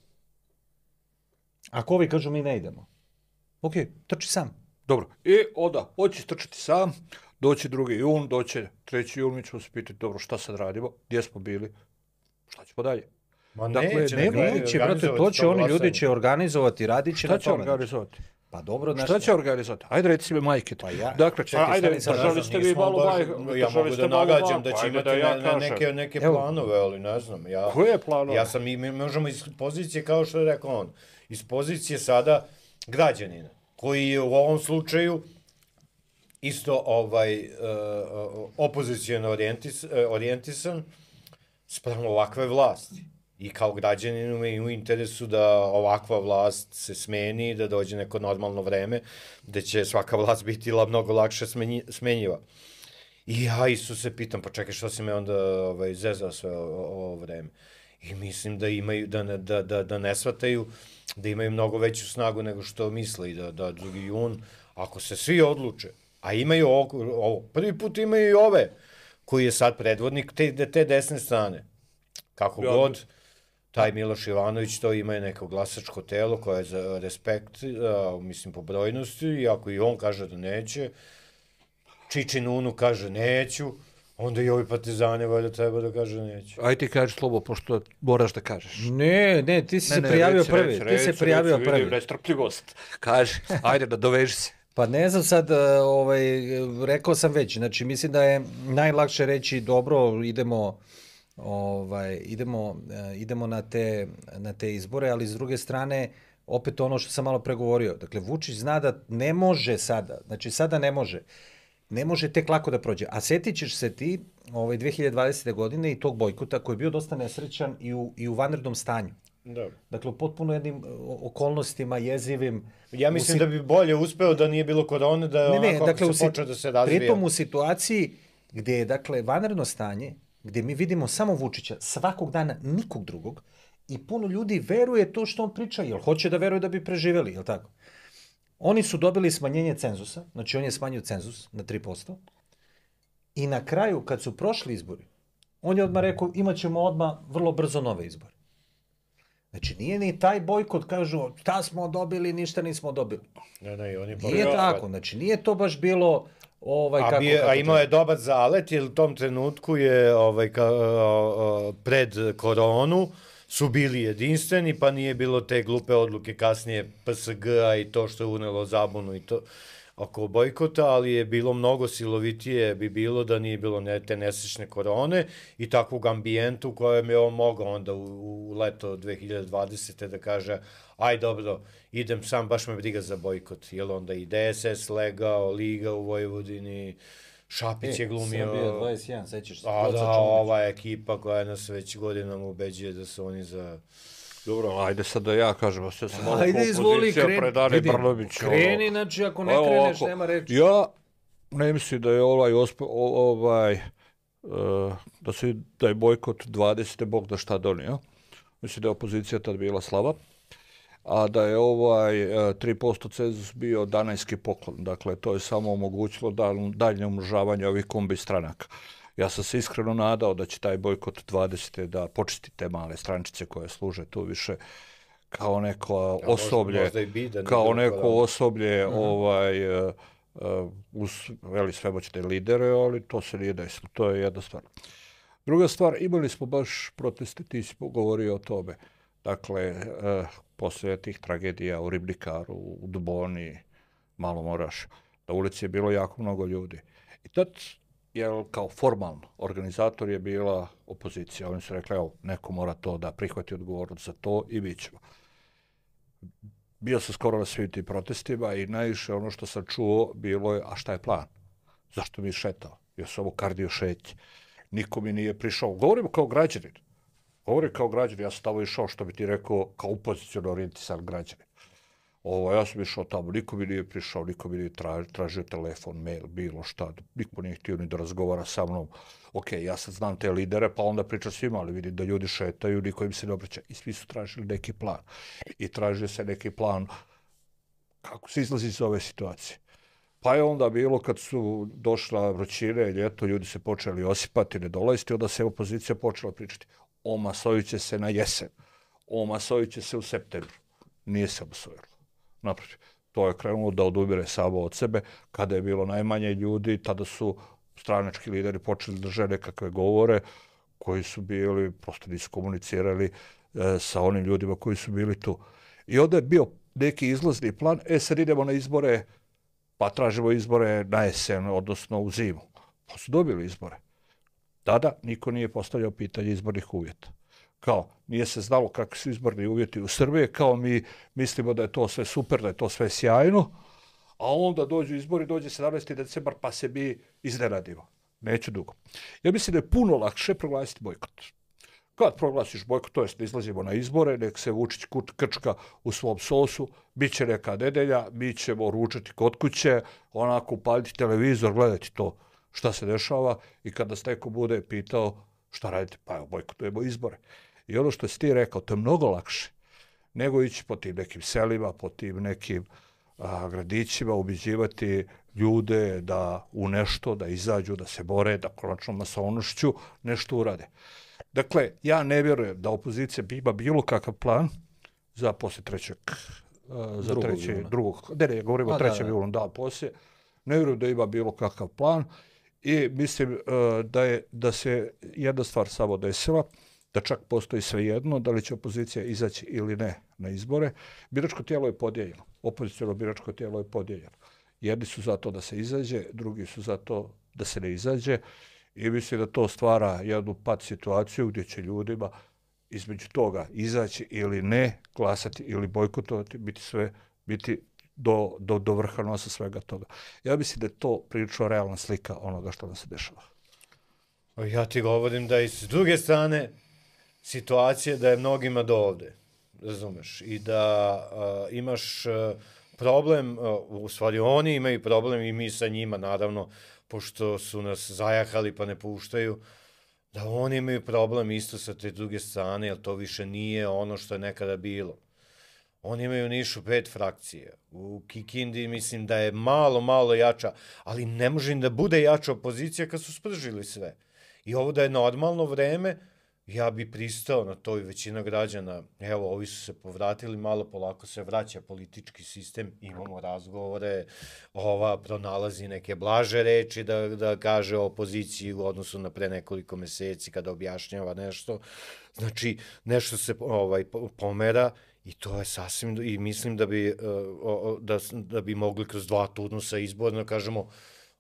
Ako ovi kažu mi ne idemo, ok, trči sam. Dobro, i onda, hoće trčati sam, doći drugi jun, doći treći jun, mi ćemo se pitati, dobro, šta sad radimo, gdje smo bili, šta ćemo dalje? Ma dakle, neće, ne, neće, brate, to će oni ljudi će organizovati, radit će šta na će tome. organizovati? Pa dobro, šta nešto... će organizovati? Ajde, reci mi majke. Pa ja, dakle, čekaj, pa, ajde, držali ste vi malo majke. Ja mogu da nagađam da će imati da ja ne, neke, neke planove, ali ne znam. Ja, koje planove? Ja sam, mi možemo iz pozicije, kao što je rekao on, iz pozicije sada građanina, koji je u ovom slučaju isto ovaj, uh, opozicijalno orijentis, uh, orijentisan spravo ovakve vlasti. I kao građaninu je u interesu da ovakva vlast se smeni, da dođe neko normalno vreme, da će svaka vlast biti mnogo lakše smenji, smenjiva. I ja isto se pitam, pa čekaj, što si me onda ovaj, zezao sve ovo vreme? I mislim da imaju, da ne, da, da, da ne shvataju, da imaju mnogo veću snagu nego što misle i da, da drugi jun, ako se svi odluče, a imaju ovo, ovo prvi put imaju i ove, koji je sad predvodnik te, te desne strane. Kako ja, god, taj Miloš Ivanović to ima neko glasačko telo koje je za respekt, a, mislim, po brojnosti, i ako i on kaže da neće, Čičin Unu kaže neću, onda i ovi partizani valjda treba da kaže neću. Aj ti kaži Slobo, pošto moraš da kažeš. Ne, ne, ti si ne, se ne, prijavio reci, prvi. Reci, ti se prijavio reci, prvi. Vidim nestrpljivost. Kaži, ajde da doveži se. Pa ne znam sad, ovaj, rekao sam već, znači mislim da je najlakše reći dobro, idemo, ovaj, idemo, idemo na, te, na te izbore, ali s druge strane, opet ono što sam malo pregovorio, dakle Vučić zna da ne može sada, znači sada ne može, ne može tek lako da prođe. A setit ćeš se ti ovaj, dve hiljade dvadesete. godine i tog bojkota koji je bio dosta nesrećan i u, i u vanrednom stanju. Da. Dakle, u potpuno jednim okolnostima, jezivim. Ja mislim usi... da bi bolje uspeo da nije bilo korone, da je ne, ne, onako dakle, se počeo da se razvija. Pritom u situaciji gde je, dakle, vanredno stanje, gde mi vidimo samo Vučića, svakog dana nikog drugog, i puno ljudi veruje to što on priča, jer hoće da veruje da bi preživeli, je li tako? Oni su dobili smanjenje cenzusa, znači on je smanjio cenzus na tri posto, i na kraju, kad su prošli izbori, on je odmah rekao, imat ćemo odmah vrlo brzo nove izbore. Znači, nije ni taj bojkot, kažu, šta smo dobili, ništa nismo dobili. Ne, ne, on je nije pa tako, znači, nije to baš bilo... Ovaj, a, kako, bije, kako a imao je dobar zalet, jer u tom trenutku je ovaj, ka, a, pred koronu su bili jedinstveni, pa nije bilo te glupe odluke kasnije P S G-a i to što je unelo zabunu i to oko bojkota, ali je bilo mnogo silovitije bi bilo da nije bilo ne, te nesečne korone i takvog ambijentu u kojem je on mogao onda u, u leto dve hiljade dvadesete. da kaže aj dobro, idem sam, baš me briga za bojkot, jer onda i de es es legao, Liga u Vojvodini, Šapić e, je glumio... Srbija dvadeset jedan, sećaš se. A da, ova ekipa koja nas već godinama ubeđuje da su oni za... Dobro, ajde sad da ja kažem, sve sam malo ajde, izvoli, kreni, predane Brnović. Kreni, znači, ako ne kreneš, ovako, nema reči. Ja ne mislim da je ovaj, ospe, ovaj uh, da, se, da je bojkot dvadesete. Bog da šta donio. Mislim da je opozicija tad bila slaba. a da je ovaj tri posto cenzus bio danajski poklon. Dakle, to je samo omogućilo daljnje umnožavanje ovih kombi stranaka. Ja sam se iskreno nadao da će taj bojkot dvadesete da počisti te male strančice koje služe tu više kao neko osoblje, možda, možda bi, kao neko osoblje uh-huh. ovaj, uh, uz veli svemoćne lidere, ali to se nije desilo. To je jedna stvar. Druga stvar, imali smo baš proteste, ti si govorio o tome. Dakle, uh, posle tih tragedija u Ribnikaru, u Duboni, malo moraš, na ulici je bilo jako mnogo ljudi. I tad, jer kao formalno, organizator je bila opozicija. Oni su rekli, evo, neko mora to da prihvati odgovornost za to i mi ćemo. Bio sam skoro na svim tim protestima i najviše ono što sam čuo bilo je, a šta je plan? Zašto mi šetao? Ja sam ovo kardio šeći. Niko mi nije prišao. Govorimo kao građanin. Govorim kao građanin, ja sam tamo išao, što bi ti rekao, kao opoziciono orijentisan građanin. Ovo, ja sam išao tamo, niko mi nije prišao, niko mi nije tražio, tražio telefon, mail, bilo šta, niko nije htio ni da razgovara sa mnom. Ok, ja sad znam te lidere, pa onda pričam svima, ali vidim da ljudi šetaju, niko im se ne obraća. I svi su tražili neki plan. I tražio se neki plan kako se izlazi iz ove situacije. Pa je onda bilo kad su došla vrućine, ljeto, ljudi se počeli osipati, ne dolaziti, onda se opozicija počela pričati. Omasovit će se na jesen, omasovit će se u septembru. Nije se omasovilo. Naprotiv, to je krenulo da odumire samo od sebe. Kada je bilo najmanje ljudi, tada su stranački lideri počeli da žele nekakve govore koji su bili, prosto nisu komunicirali e, sa onim ljudima koji su bili tu. I onda je bio neki izlazni plan, e sad idemo na izbore, pa tražimo izbore na jesen, odnosno u zimu. Pa su dobili izbore. Tada niko nije postavljao pitanje izbornih uvjeta. Kao, nije se znalo kakvi su izborni uvjeti u Srbiji, kao mi mislimo da je to sve super, da je to sve sjajno, a onda dođu izbori, dođe sedamnaesti decembar, pa se mi iznenadimo. Neću dugo. Ja mislim da je puno lakše proglasiti bojkot. Kad proglasiš bojkot, to jest da izlazimo na izbore, nek se Vučić krčka u svom sosu, bit će neka nedelja, mi ćemo ručati kod kuće, onako upaliti televizor, gledati to šta se dešava i kada nas neko bude pitao šta radite, pa evo, bojkotujemo izbore. I ono što si ti rekao, to je mnogo lakše nego ići po tim nekim selima, po tim nekim a, gradićima, ubiđivati ljude da u nešto, da izađu, da se bore, da konačno masovnošću nešto urade. Dakle, ja ne vjerujem da opozicija ima bilo kakav plan za poslije trećeg, uh, za drugog, treće, drugog, ne, ne, govorimo o trećem julu, da, poslije. Ne vjerujem da ima bilo kakav plan i mislim uh, da je, da se jedna stvar samo desila, da čak postoji svejedno, da li će opozicija izaći ili ne na izbore. Biračko tijelo je podijeljeno, opoziciono biračko tijelo je podijeljeno. Jedni su za to da se izađe, drugi su za to da se ne izađe. I mislim da to stvara jednu pad situaciju gdje će ljudima između toga izaći ili ne, glasati ili bojkotovati, biti sve, biti do, do, do vrha nosa svega toga. Ja mislim da je to prilično realna slika onoga što nam se dešava. Ja ti govorim da i s druge strane situacija da je mnogima do ovde, razumeš, i da uh, imaš uh, problem, uh, u stvari oni imaju problem i mi sa njima, naravno, pošto su nas zajahali pa ne puštaju, da oni imaju problem isto sa te druge strane, jer to više nije ono što je nekada bilo. Oni imaju u Nišu pet frakcija. U Kikindi mislim da je malo, malo jača, ali ne može im da bude jača opozicija kad su spržili sve. I ovo da je normalno vreme, ja bi pristao na to i većina građana. Evo, ovi su se povratili, malo polako se vraća politički sistem, imamo razgovore, ova pronalazi neke blaže reči da, da kaže o opoziciji u odnosu na pre nekoliko meseci kada objašnjava nešto. Znači, nešto se ovaj, pomera i to je sasvim, i mislim da bi, da, da bi mogli kroz dva turnusa izborno, kažemo,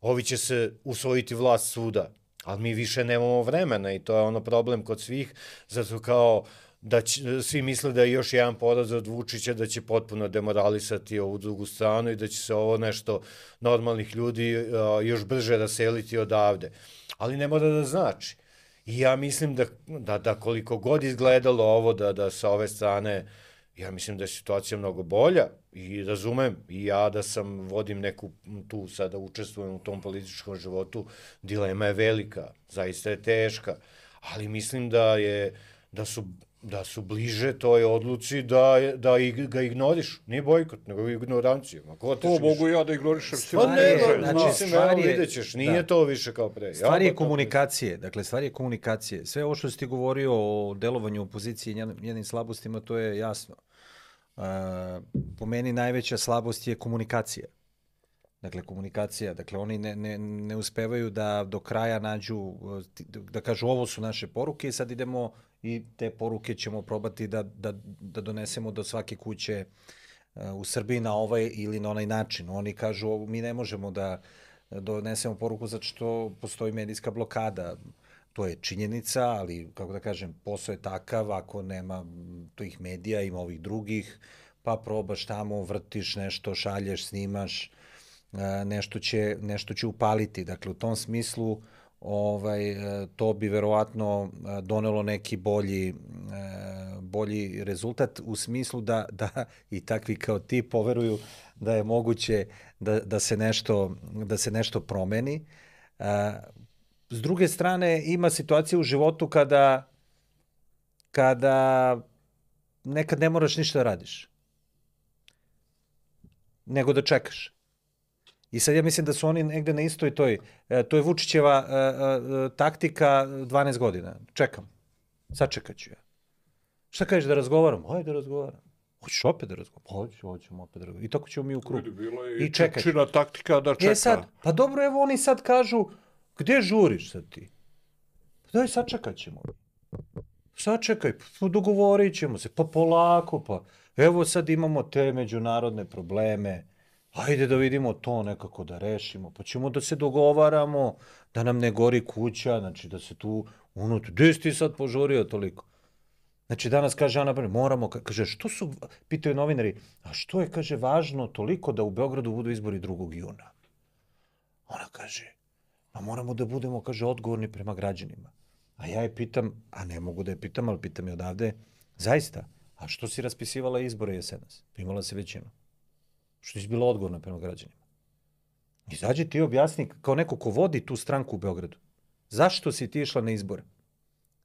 ovi će se usvojiti vlast svuda. Ali mi više nemamo vremena i to je ono problem kod svih, zato kao da će, svi misle da je još jedan poraz od Vučića da će potpuno demoralisati ovu drugu stranu i da će se ovo nešto normalnih ljudi uh, još brže raseliti odavde. Ali ne mora da znači. I ja mislim da, da, da koliko god izgledalo ovo da, da sa ove strane, ja mislim da je situacija mnogo bolja i razumem i ja da sam vodim neku tu sada učestvujem u tom političkom životu, dilema je velika, zaista je teška, ali mislim da je da su, da su bliže toj odluci da, da ig, ga ignoriš. Nije bojkot, nego ignorancija. Ma ko To mogu ja da ignorišem. Pa ne, znači, znači, stvar je- vidjet ćeš, nije da. to više kao pre. Stvar Ja, je to- komunikacije, dakle stvar je komunikacije. Sve ovo što si ti govorio o delovanju opozicije i njen- njenim slabostima, to je jasno. Uh, po meni najveća slabost je komunikacija. Dakle, komunikacija. Dakle, oni ne, ne, ne uspevaju da do kraja nađu, uh, ti- da kažu ovo su naše poruke i sad idemo i te poruke ćemo probati da, da, da donesemo do svake kuće uh, u Srbiji na ovaj ili na onaj način. Oni kažu ovo, mi ne možemo da donesemo poruku zato što postoji medijska blokada. To je činjenica, ali, kako da kažem, posao je takav, ako nema tih medija, ima ovih drugih, pa probaš tamo, vrtiš nešto, šalješ, snimaš, e, nešto će, nešto će upaliti. Dakle, u tom smislu ovaj, e, to bi verovatno e, donelo neki bolji, e, bolji rezultat u smislu da, da i takvi kao ti poveruju da je moguće da, da, se, nešto, da se nešto promeni. E, S druge strane, ima situacija u životu kada, kada nekad ne moraš ništa da radiš, nego da čekaš. I sad ja mislim da su oni negde na istoj toj, e, to je Vučićeva e, e, taktika dvanaest godina. Čekam. Sačekat ću ja. Šta kažeš da razgovaram? Hajde da razgovaram. Hoćeš opet da razgovaram? Hoću, hoćemo opet da razgovaram. I tako ćemo mi u krug. Bilo je I i čekaj. čečina taktika da čeka. E sad, pa dobro, evo oni sad kažu, gde žuriš sad ti? Pa daj, sačekat ćemo. Sačekaj, pa dogovorit ćemo se, pa polako, pa evo sad imamo te međunarodne probleme, ajde da vidimo to nekako da rešimo, pa ćemo da se dogovaramo, da nam ne gori kuća, znači da se tu unutra, gde si ti sad požurio toliko? Znači danas kaže Ana Brnabić, moramo, kaže, što su, pitaju novinari, a što je, kaže, važno toliko da u Beogradu budu izbori drugog juna? Ona kaže, pa moramo da budemo, kaže, odgovorni prema građanima. A ja je pitam, a ne mogu da je pitam, ali pitam je odavde, zaista, a što si raspisivala izbore jesenas? Imala si većinu. Što si bila odgovorna prema građanima? Izađi ti objasni, kao neko ko vodi tu stranku u Beogradu, zašto si ti išla na izbore?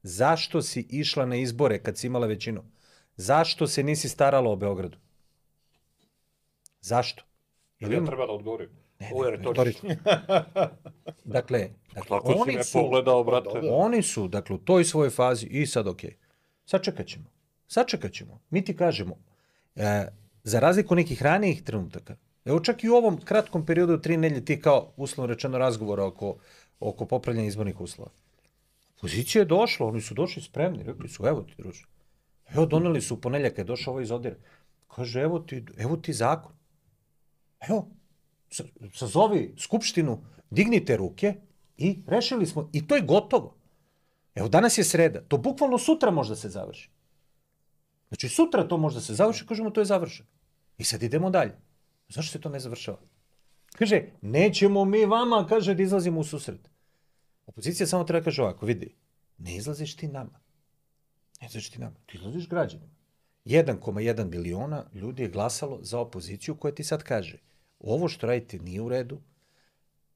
Zašto si išla na izbore kad si imala većinu? Zašto se nisi starala o Beogradu? Zašto? Jel ja treba da odgovorim? Ovo je retorično. Dakle, dakle Tako si oni me su, pogledao, brate. oni su, dakle, u toj svojoj fazi i sad okej. Okay. Sačekat ćemo. Sačekat ćemo. Mi ti kažemo, e, za razliku nekih ranijih trenutaka, evo čak i u ovom kratkom periodu tri nedelje ti kao uslovno rečeno razgovora oko, oko popravljanja izbornih uslova. Opozicija je došla, oni su došli spremni, rekli su, evo ti, druže. Evo, doneli su u ponedeljak, je došao ovaj iz Odire. Kaže, evo ti, evo ti zakon. Evo, sazovi skupštinu, dignite ruke i rešili smo. I to je gotovo. Evo, danas je sreda. To bukvalno sutra može da se završi. Znači, sutra to može da se završi, kažemo, to je završeno. I sad idemo dalje. Zašto se to ne završava? Kaže, nećemo mi vama, kaže, da izlazimo u susret. Opozicija samo treba kaže ovako, vidi, ne izlaziš ti nama. Ne izlaziš ti nama. Ti izlaziš građanima. jedan zarez jedan miliona ljudi je glasalo za opoziciju koja ti sad kaže, ovo što radite nije u redu,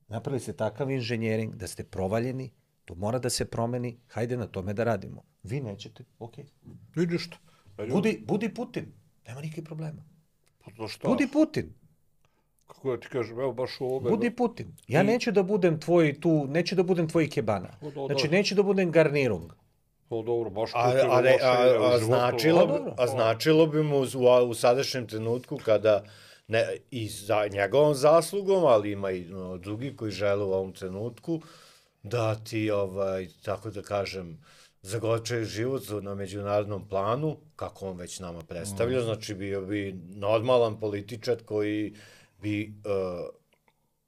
napravili ste takav inženjering da ste provaljeni, to mora da se promeni, hajde na tome da radimo. Vi nećete, okej. Okay. Vidiš što? Budi, budi Putin, nema nikakvih problema. Pa šta? Budi Putin. Kako da ti kažem, evo baš u ovome... Budi Putin. Ja neću da budem tvoj tu, neću da budem tvoj ikebana. Znači, neću da budem garnirung. O, dobro, baš A, Putin a, loše a, ide u a, životu. značilo, Pa, bi, dobro. a značilo bi mu u, u sadašnjem trenutku kada ne, i za njegovom zaslugom, ali ima i no, drugi koji žele u ovom trenutku da ti, ovaj, tako da kažem, zagorčaju život na međunarodnom planu, kako on već nama predstavlja, mm. znači bio bi normalan političar koji bi uh,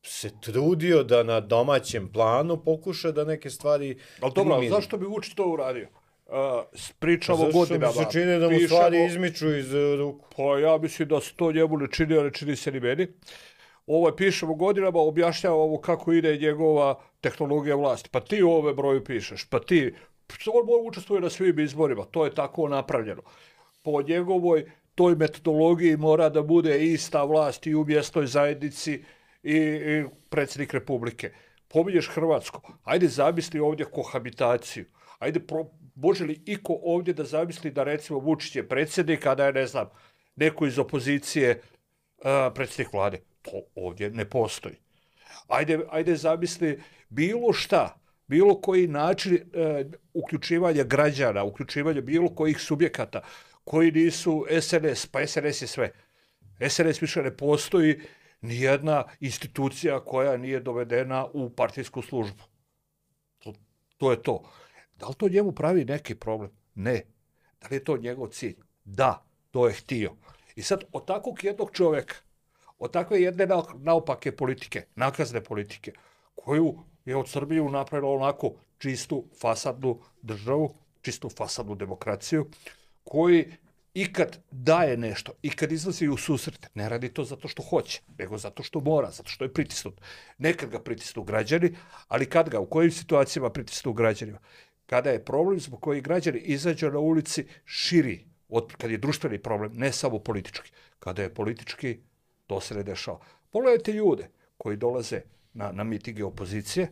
se trudio da na domaćem planu pokuša da neke stvari... Ali dobro, ali primiri. zašto bi Vučić to uradio? Uh, pričamo Zašto godinama. mi se čini da mu pišemo, stvari izmiču iz uh, ruku? Pa ja mislim da se to njemu ne čini, ali čini se ni meni. Ovo pišemo godinama, objašnjavamo kako ide njegova tehnologija vlasti. Pa ti ove broju pišeš, pa ti... On učestvuje na svim izborima, to je tako napravljeno. Po njegovoj toj metodologiji mora da bude ista vlast i u mjesnoj zajednici i, i predsjednik Republike. Pominješ Hrvatsku, ajde zamisli ovdje kohabitaciju. Ajde pro, može li iko ovdje da zamisli da recimo Vučić je predsjednik, a da je, ne znam, neko iz opozicije uh, predsjednik vlade? To ovdje ne postoji. Ajde, ajde zamisli bilo šta, bilo koji način uh, uključivanja građana, uključivanja bilo kojih subjekata koji nisu S N S, pa S N S je sve. S N S više ne postoji nijedna institucija koja nije dovedena u partijsku službu. To, to je to. Da li to njemu pravi neki problem? Ne. Da li je to njegov cilj? Da, to je htio. I sad od takvog jednog čovjeka, od takve jedne naopake politike, nakazne politike, koju je od Srbiju napravila onako čistu fasadnu državu, čistu fasadnu demokraciju, koji i kad daje nešto, i kad izlazi u susret, ne radi to zato što hoće, nego zato što mora, zato što je pritisnut. Nekad ga pritisnu građani, ali kad ga, u kojim situacijama pritisnu građanima? Kada je problem zbog koji građani izađu na ulici širi, od, kad je društveni problem, ne samo politički. Kada je politički, to se ne dešava. Pogledajte ljude koji dolaze na, na mitinge opozicije,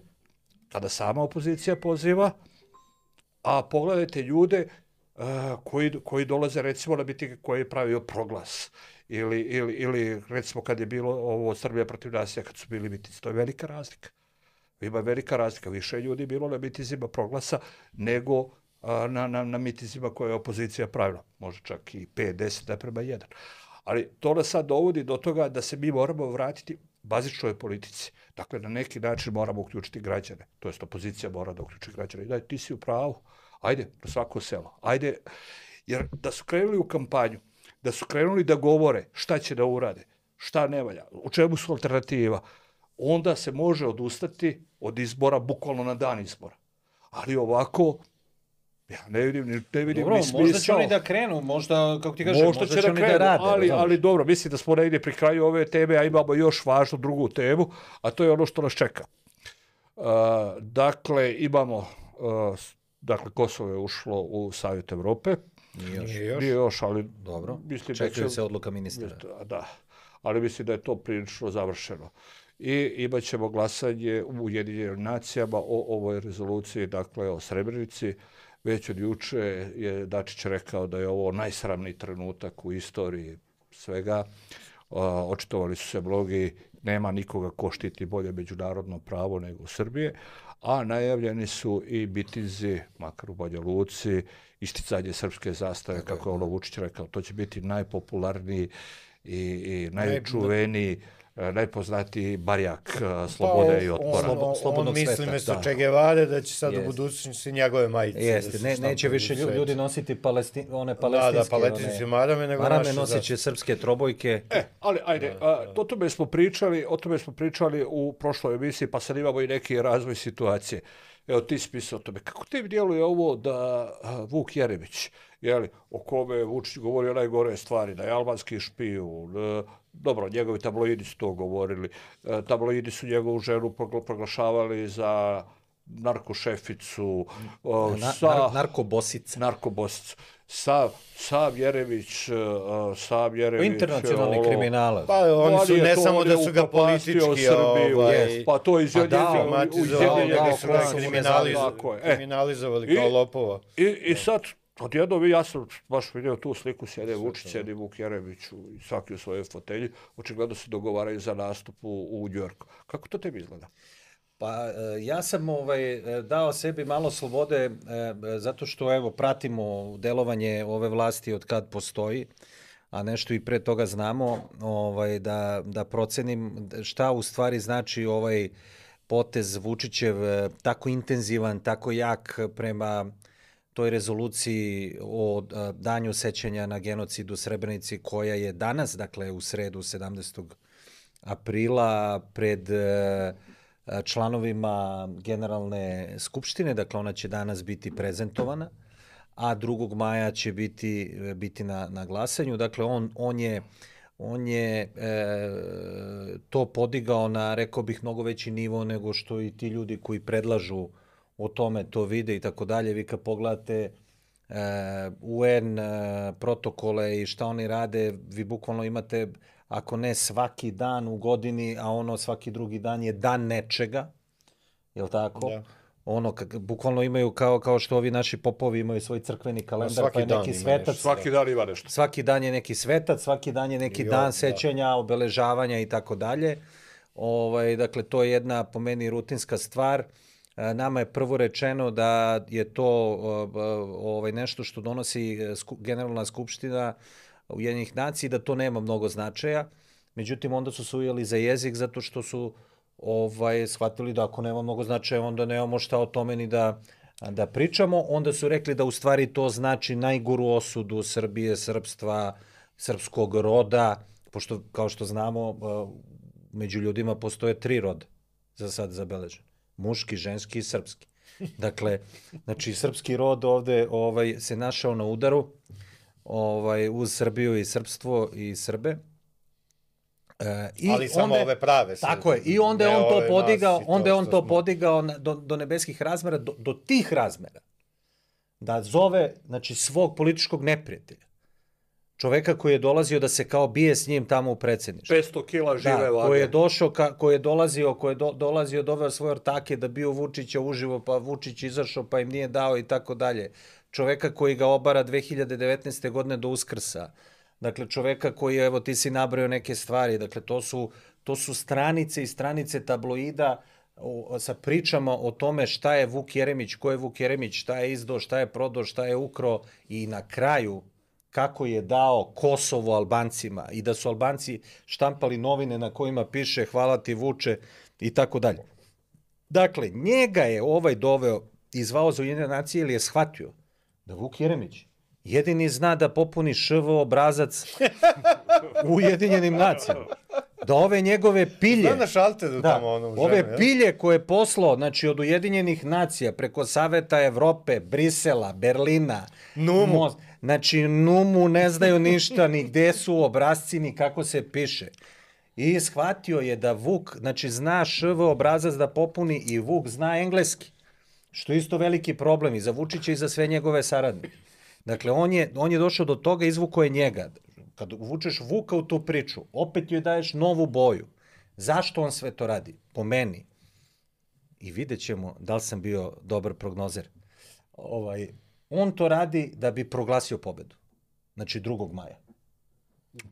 kada sama opozicija poziva, a pogledajte ljude uh, koji, koji dolaze recimo na mitinge koji je pravio Proglas. Ili, ili, ili recimo kad je bilo ovo Srbija protiv nasilja, kad su bili mitinci. To je velika razlika. Ima velika razlika. Više ljudi bilo na mitinzima Proglasa nego a, na, na, na mitinzima koje je opozicija pravila. Može čak i pet deset naprema jedan. Ali to nas sad dovodi do toga da se mi moramo vratiti bazičnoj politici. Dakle, na neki način moramo uključiti građane. To jest opozicija mora da uključi građane. I daj, ti si u pravu. Ajde, na svako selo. Ajde, jer da su krenuli u kampanju, da su krenuli da govore šta će da urade, šta ne valja, u čemu su alternativa, onda se može odustati od izbora bukvalno na dan izbora. Ali ovako, ja ne vidim, ne vidim dobro, ni smisao. možda će oni da krenu, možda, kako ti kažem, možda, možda će, će oni krenu, da rade. Ali, ali dobro, mislim da smo negdje pri kraju ove teme, a imamo još važnu drugu temu, a to je ono što nas čeka. Uh, dakle, imamo, uh, dakle, Kosovo je ušlo u Savjet Evrope. Nije još. Nije još. Nije još, ali... Dobro, mislim čekaju da će, se odluka ministra. Da, ali mislim da je to prilično završeno. I imat ćemo glasanje u Ujedinjenim nacijama o ovoj rezoluciji, dakle o Srebrenici. Već od juče je Dačić rekao da je ovo najsramniji trenutak u istoriji svega. O, očitovali su se mnogi, nema nikoga ko štiti bolje međunarodno pravo nego Srbije, a najavljeni su i mitinzi, makar u Banja Luci, isticanje srpske zastave, kako je ono Vučić rekao, to će biti najpopularniji i, i najčuveniji, najpoznatiji barjak slobode pa, i otpora. On, on, Slobodnog on misli sveta, mjesto da. Che Guevare da će sad Jest. u budućnosti njegove majice. Jeste, da ne, neće više ljudi, ljudi nositi palestin, one palestinske... Da, da, palestinske marame, nego marame naše nosit će srpske trobojke. E, ali ajde, a, o tome smo pričali, o tome smo pričali u prošloj emisiji, pa sad imamo i neki razvoj situacije. Evo, ti si pisao o tome. Kako tebi djeluje ovo da a, Vuk Jeremić, jeli, o kome je Vučić govorio najgore stvari, da je albanski špijun, e, dobro, njegovi tabloidi su to govorili, e, tabloidi su njegovu ženu proglašavali za narkošeficu, o, Na, sa, nar, narkobosica. narkobosicu. Sav, Sav Jerević, uh, Sav Jerević... Internacionalni ovo, kriminalac. Pa oni su, ne samo da su ga politički... Srbiju, Ovaj, pa to iz pa da, Ujedinjenih su ga kriminalizovali, kriminalizovali kao lopova. I, i sad, odjedno, ja sam baš vidio tu sliku, sjede Vučić, sjedi Vuk Jeremić i svaki u svojoj fotelji, očigledno se dogovaraju za nastup u, u Njujorku. Kako to tebi izgleda? Pa ja sam ovaj dao sebi malo slobode zato što evo pratimo delovanje ove vlasti od kad postoji, a nešto i pre toga znamo, ovaj da da procenim šta u stvari znači ovaj potez Vučićev tako intenzivan, tako jak prema toj rezoluciji o danju sećanja na genocid u Srebrenici koja je danas, dakle u sredu sedamnaestog aprila pred članovima Generalne skupštine, dakle ona će danas biti prezentovana, a drugog maja će biti, biti na, na glasanju. Dakle, on, on je, on je e, to podigao na, rekao bih, mnogo veći nivo nego što i ti ljudi koji predlažu o tome to vide i tako dalje. Vi kad pogledate e, U N e, protokole i šta oni rade, vi bukvalno imate, ako ne svaki dan u godini, a ono svaki drugi dan je dan nečega, je li tako? Da. ono, kak, bukvalno imaju kao, kao što ovi naši popovi imaju svoj crkveni kalendar, pa je neki svetac. Svaki dan ima nešto. Svaki dan je neki svetac, svaki dan je neki jo, dan sećanja, da. obeležavanja i tako dalje. Ovaj, dakle, to je jedna, po meni, rutinska stvar. Nama je prvo rečeno da je to ovaj, nešto što donosi Generalna skupština Ujedinjenih nacija, da to nema mnogo značaja. Međutim, onda su se ujeli za jezik zato što su ovaj, shvatili da ako nema mnogo značaja, onda nemamo šta o tome ni da, da pričamo. Onda su rekli da u stvari to znači najgoru osudu Srbije, srpstva, srpskog roda, pošto, kao što znamo, među ljudima postoje tri roda za sad zabeležen. Muški, ženski i srpski. Dakle, znači, srpski rod ovde ovaj, se našao na udaru ovaj, uz Srbiju i srpstvo i Srbe. E, i ali samo onda, ove prave. Tako je. I onda je on to podigao, onda je on to podigao do, do nebeskih razmera, do, do tih razmera. Da zove, znači, svog političkog neprijatelja. Čoveka koji je dolazio da se kao bije s njim tamo u predsjedništvu. petsto kila žive da, vage. Koji je došao, ka, koji je dolazio, koji je do, dolazio, doveo svoje ortake da bio Vučića uživo, pa Vučić izašao, pa im nije dao i tako dalje. Čoveka koji ga obara dve hiljade devetnaeste. godine do Uskrsa. Dakle, čoveka koji je, evo, ti si nabrao neke stvari. Dakle, to su, to su stranice i stranice tabloida o, sa pričama o tome šta je Vuk Jeremić, ko je Vuk Jeremić, šta je izdao, šta je prodao, šta je ukro i na kraju kako je dao Kosovo Albancima i da su Albanci štampali novine na kojima piše hvala ti Vuče i tako dalje. Dakle, njega je ovaj doveo i zvao za Ujedinjene nacije ili je shvatio da Vuk Jeremić jedini zna da popuni š v obrazac u Ujedinjenim nacijama. Da ove njegove pilje... Zna na šalteru da, tamo ono u žene, ove ja? pilje koje je poslao, znači od Ujedinjenih nacija, preko Saveta Evrope, Brisela, Berlina, Numu. Most, znači Numu ne znaju ništa, ni gde su obrazci, ni kako se piše. I shvatio je da Vuk, znači zna š v obrazac da popuni i Vuk zna engleski. Što je isto veliki problem i za Vučića i za sve njegove saradnike. Dakle, on je, on je došao do toga, izvukao je njega. Kad uvučeš Vuka u tu priču, opet joj daješ novu boju. Zašto on sve to radi? Po meni. I vidjet ćemo da li sam bio dobar prognozer. Ovaj, on to radi da bi proglasio pobedu. Znači drugog maja.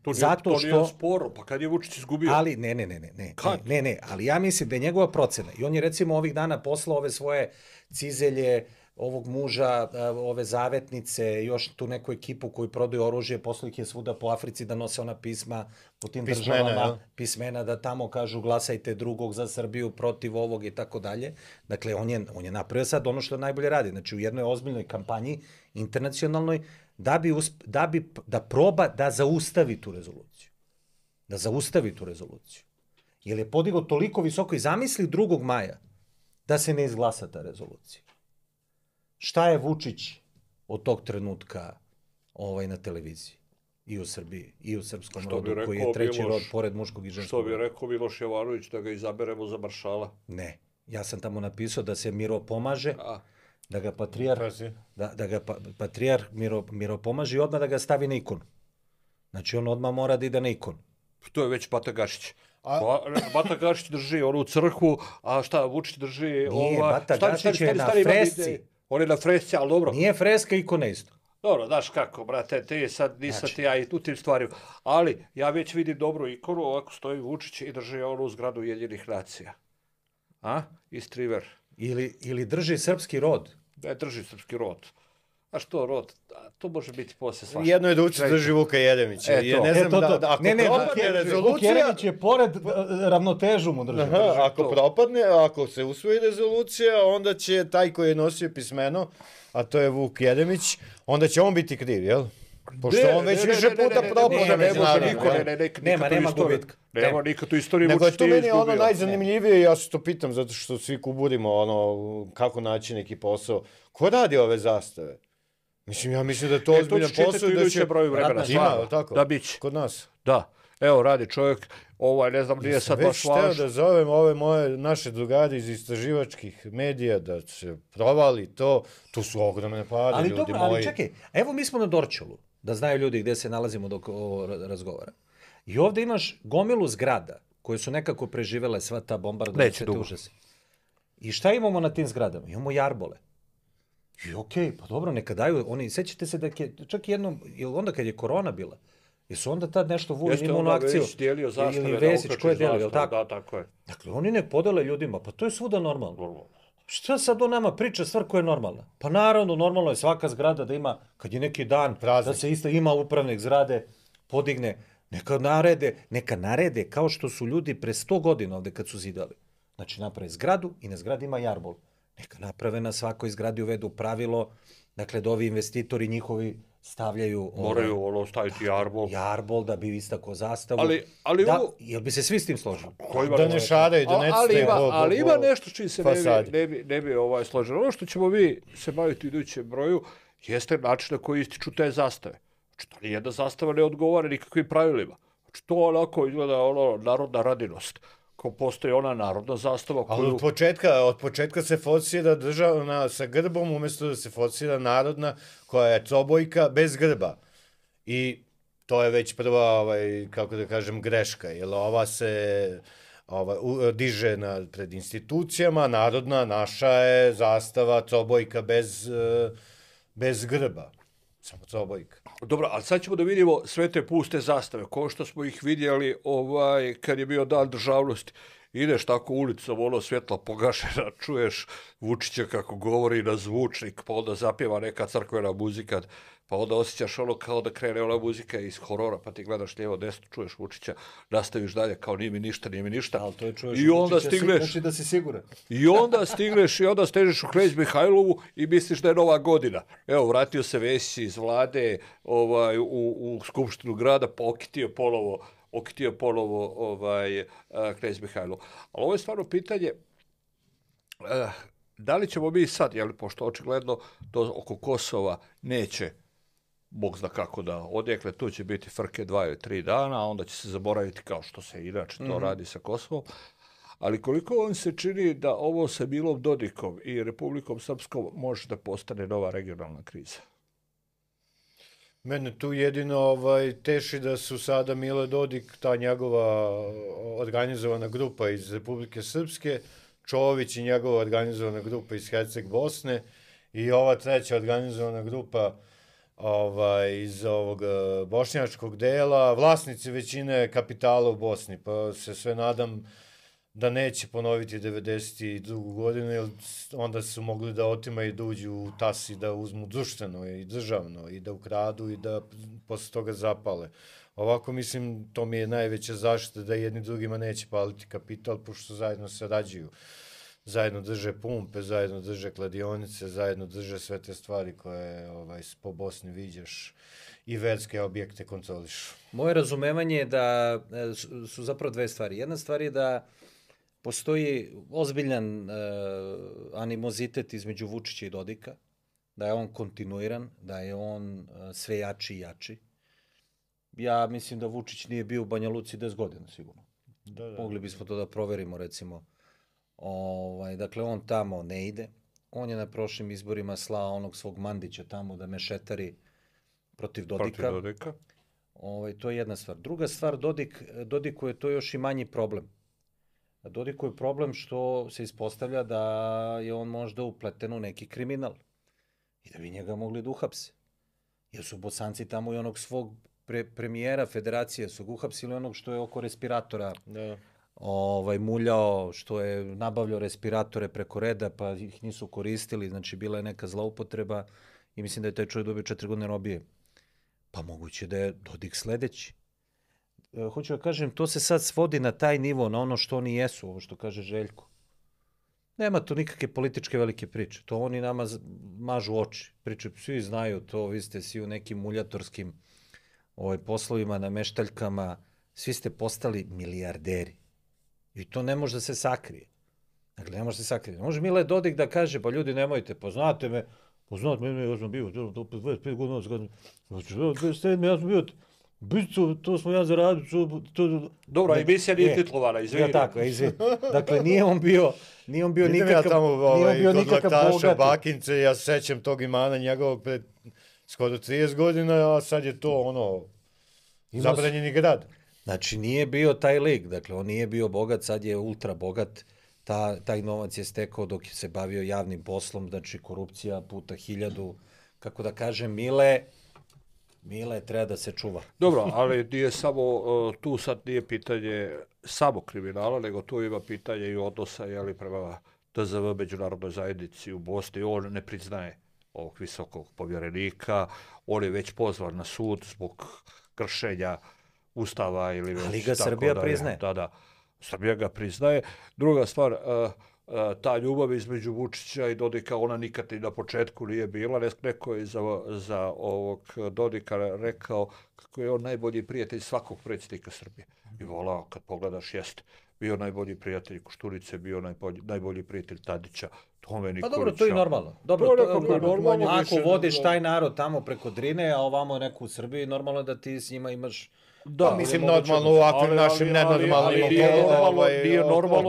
To nije, Zato to što... nije sporo, pa kad je Vučić izgubio? Ali, ne, ne, ne, ne, ne, ne, ne, ali ja mislim da je njegova procena. I on je recimo ovih dana poslao ove svoje cizelje, ovog muža, ove zavetnice, još tu neku ekipu koji prodaju oružje, poslao ih je svuda po Africi da nose ona pisma po tim pismena, državama, ja. pismena da tamo kažu glasajte drugog za Srbiju, protiv ovog i tako dalje. Dakle, on je, on je napravio sad ono što najbolje radi. Znači, u jednoj ozbiljnoj kampanji, internacionalnoj, da bi, usp, da bi da proba da zaustavi tu rezoluciju. Da zaustavi tu rezoluciju. Jer je podigao toliko visoko i zamisli drugog maja da se ne izglasa ta rezolucija. Šta je Vučić od tog trenutka ovaj, na televiziji? I u Srbiji, i u srpskom što rodu, koji je treći Miloš, rod pored muškog i ženskog. Što bi rekao Miloš Jovanović da ga izaberemo za maršala? Ne. Ja sam tamo napisao da se Miro pomaže, A. da ga patrijar, da, da ga pa, patrijar Miro, Miro pomaže i odmah da ga stavi na ikonu. Znači on odmah mora da ide na ikonu. To je već Bata Gašić. A... Bata Gašić drži onu crkvu, a šta Vučić drži... Nije, ova... Bata stari, Gašić stari, je stari, na fresci. On je na fresci, ali dobro. Nije freska, ikona isto. Dobro, znaš kako, brate, ti sad nisam znači. ti ja i u tim stvarima. Ali ja već vidim dobru ikonu, ovako stoji Vučić i drži onu zgradu Ujedinjenih nacija. A? Istriver. Ili, ili drži srpski rod. Ne, drži srpski rod. A što rod? To može biti posle svašta. Jedno je da Vučić drži Vuka Jeremića. E, je, ne znam e, to, to. Da, da, ako ne, ne, propadne rezolucija... Vuk Jeremić je pored ravnotežu mu drži. Aha, drži ako to. propadne, ako se usvoji rezolucija, onda će taj koji je nosio pismeno, a to je Vuk Jeremić, onda će on biti kriv, jel? Pošto on već više puta propao međunarodno. Nema, nema gubitka. Nema nikad u istoriji Vučić Vučić nije izgubio. Nego je to meni ono najzanimljivije, ja se to pitam, zato što svi kuburimo ono, kako naći neki posao. Ko radi ove zastave? Mislim, ja mislim da je to e, ozbiljan posao i da će... broju vremena, ima, tako? Da biće. Kod nas. Da. Evo, radi čovjek, ovaj, ne znam, nije sad baš važno. Već hteo da zovem ove moje, naše drugari iz istraživačkih medija, da se provali to, to su ogromne pare, ali ljudi dobro, moji. Ali čekaj, evo mi smo na Dorćolu, da znaju ljudi gde se nalazimo dok ovo razgovara. I ovde imaš gomilu zgrada, koje su nekako preživele sva ta bombardovanja, sve te užase. I šta imamo na tim zgradama? Imamo jarbole. I okej, okay, pa dobro, neka daju, oni, sećate se da je, čak jednom, ili onda kad je korona bila, jesu onda tad nešto Vulin imao na akciju? Jeste, onda dijelio zastave. Ili Vesić, ko je delio, jel tako? Da, tako je. Dakle, oni nek podele ljudima, pa to je svuda normalno. Šta sad on nama priča stvar koja je normalna? Pa naravno, normalno je svaka zgrada da ima, kad je neki dan, praznik, da se isto ima upravnik zgrade, podigne, neka narede, neka narede, kao što su ljudi pre sto godina ovde kad su zidali. Znači, naprave zgradu i na zgradi ima jarbol. Neka naprave na svakoj zgradi uvedu pravilo, dakle, da ovi investitori njihovi stavljaju... Moraju ono staviti jarbol. Jarbol da bi istako zastavu. Ali, ali da, ovo... Jel bi se svi s tim složili? Da ne šaraju, da ne ali, ima, bo, bo, ali ima nešto čiji se ne fasadi. bi, ne bi, ne bi ovaj složilo. Ono što ćemo vi se baviti u idućem broju jeste način na koji ističu te zastave. Znači, da nijedna zastava ne odgovara nikakvim pravilima. Znači, to onako izgleda ono narodna radinost. Ko postoji ona narodna zastava koju... Ali od početka, od početka se forsira državna sa grbom, umjesto da se forsira narodna koja je cobojka bez grba. I to je već prva, ovaj, kako da kažem, greška, jer ova se ova, u, diže na, pred institucijama, narodna, naša je zastava cobojka bez, bez grba. Samo cobojka. Dobro, ali sad ćemo da vidimo sve te puste zastave, ko što smo ih vidjeli ovaj, kad je bio dan državnosti. Ideš tako ulicom, ono svjetla pogašena, čuješ Vučića kako govori na zvučnik, pa onda zapjeva neka crkvena muzika, pa onda osjećaš ono kao da krene ona muzika iz horora, pa ti gledaš lijevo desno, čuješ Vučića, nastaviš dalje kao nije mi ništa, nije mi ništa. Ali to je čuješ I onda Vučića, stigneš, znači da si siguran. I onda stigneš i onda stežeš u Knez Mihajlovu i misliš da je nova godina. Evo, vratio se Vesić iz vlade ovaj, u, u Skupštinu grada, pa okitio polovo okitio polovo ovaj, Knez Mihajlov. Ali ovo je stvarno pitanje, uh, da li ćemo mi sad, jel, pošto očigledno to oko Kosova neće, Bog zna kako da odjekle, tu će biti frke dva ili tri dana, a onda će se zaboraviti kao što se inače to mm-hmm. radi sa Kosovom. Ali koliko vam se čini da ovo sa Milom Dodikom i Republikom Srpskom može da postane nova regionalna kriza? Mene tu jedino ovaj, teši da su sada Milo Dodik, ta njegova organizovana grupa iz Republike Srpske, Čović i njegova organizovana grupa iz Herceg Bosne i ova treća organizovana grupa ovaj, iz ovog bošnjačkog dela, vlasnici većine kapitala u Bosni, pa se sve nadam da neće ponoviti devedeset drugu godinu, jer onda su mogli da otimaju, da uđu u tas i da uzmu društveno i državno i da ukradu i da posle toga zapale. Ovako, mislim, to mi je najveća zaštita da jedni drugima neće paliti kapital, pošto zajedno sarađuju. Zajedno drže pumpe, zajedno drže kladionice, zajedno drže sve te stvari koje ovaj, po Bosni viđaš i verske objekte kontrolišu. Moje razumevanje je da su zapravo dve stvari. Jedna stvar je da postoji ozbiljan uh, animozitet između Vučića i Dodika, da je on kontinuiran, da je on uh, sve jači i jači. Ja mislim da Vučić nije bio u Banja Luci deset godina, sigurno. Da, da. Mogli bismo to da proverimo, recimo. Ovaj, dakle, on tamo ne ide. On je na prošlim izborima slao onog svog Mandića tamo da mešetari protiv Dodika. Protiv Dodika. Ovaj, to je jedna stvar. Druga stvar, Dodik, Dodiku je to još i manji problem. Dodiku je problem što se ispostavlja da je on možda upleten u neki kriminal i da bi njega mogli da uhapse. Jer su Bosanci tamo i onog svog pre, premijera federacije su uhapsili onog što je oko respiratora da. ovaj, muljao, što je nabavljao respiratore preko reda pa ih nisu koristili, znači bila je neka zloupotreba i mislim da je taj čovjek dobio četiri godine robije. Pa moguće da je Dodik sledeći. Hoću da kažem, to se sad svodi na taj nivo, na ono što oni jesu, ovo što kaže Željko. Nema to nikakve političke velike priče. To oni nama mažu oči. Priče, svi znaju to, vi ste svi u nekim muljatorskim ovaj, poslovima, nameštaljkama, svi ste postali milijarderi. I to ne može da se sakrije. Dakle, ne može da se sakrije. Može Mile Dodik da kaže, pa ljudi nemojte, poznate me, poznate me, ja sam bio, dvadeset pet godina, dvadeset sedam ja sam bio, Bicu, to smo ja zaradio. To, to, Dobro, ne, emisija nije titlovana, izvini. Ja tako, izvini. Dakle, nije on bio, nije on bio nikakav, ja tamo, ovaj, nije on bio nikakav bogati. Bakince, ja sećam tog imana njegovog pred skoro trideset godina, a sad je to ono, Ima zabranjeni grad. Znači, nije bio taj lik, dakle, on nije bio bogat, sad je ultra bogat, ta, taj novac je stekao dok je se bavio javnim poslom, znači korupcija puta hiljadu, kako da kažem, Mile, Mile treba da se čuva. Dobro, ali nije samo, tu sad nije pitanje samo kriminala, nego tu ima pitanje i odnosa, jeli, prema T Z V međunarodnoj zajednici u Bosni. On ne priznaje ovog visokog povjerenika, on je već pozvan na sud zbog kršenja Ustava ili već... Ali ga Srbija priznaje. Da, da, Srbija ga priznaje. Druga stvar, uh, uh, ta ljubav između Vučića i Dodika, ona nikad i na početku nije bila. Neko je za, za ovog Dodika rekao kako je on najbolji prijatelj svakog predsjednika Srbije. I volao, kad pogledaš, jeste. Bio najbolji prijatelj Košturice, bio najbolji, najbolji prijatelj Tadića, Tome Nikolića. Pa dobro, to je normalno. Dobro, to, to, to, normalno. Ako vodiš taj narod tamo preko Drine, a ovamo neku u Srbiji, normalno da ti s njima imaš... Da, mislim, normalno u ovakvim našim nenormalnim... Nije normalno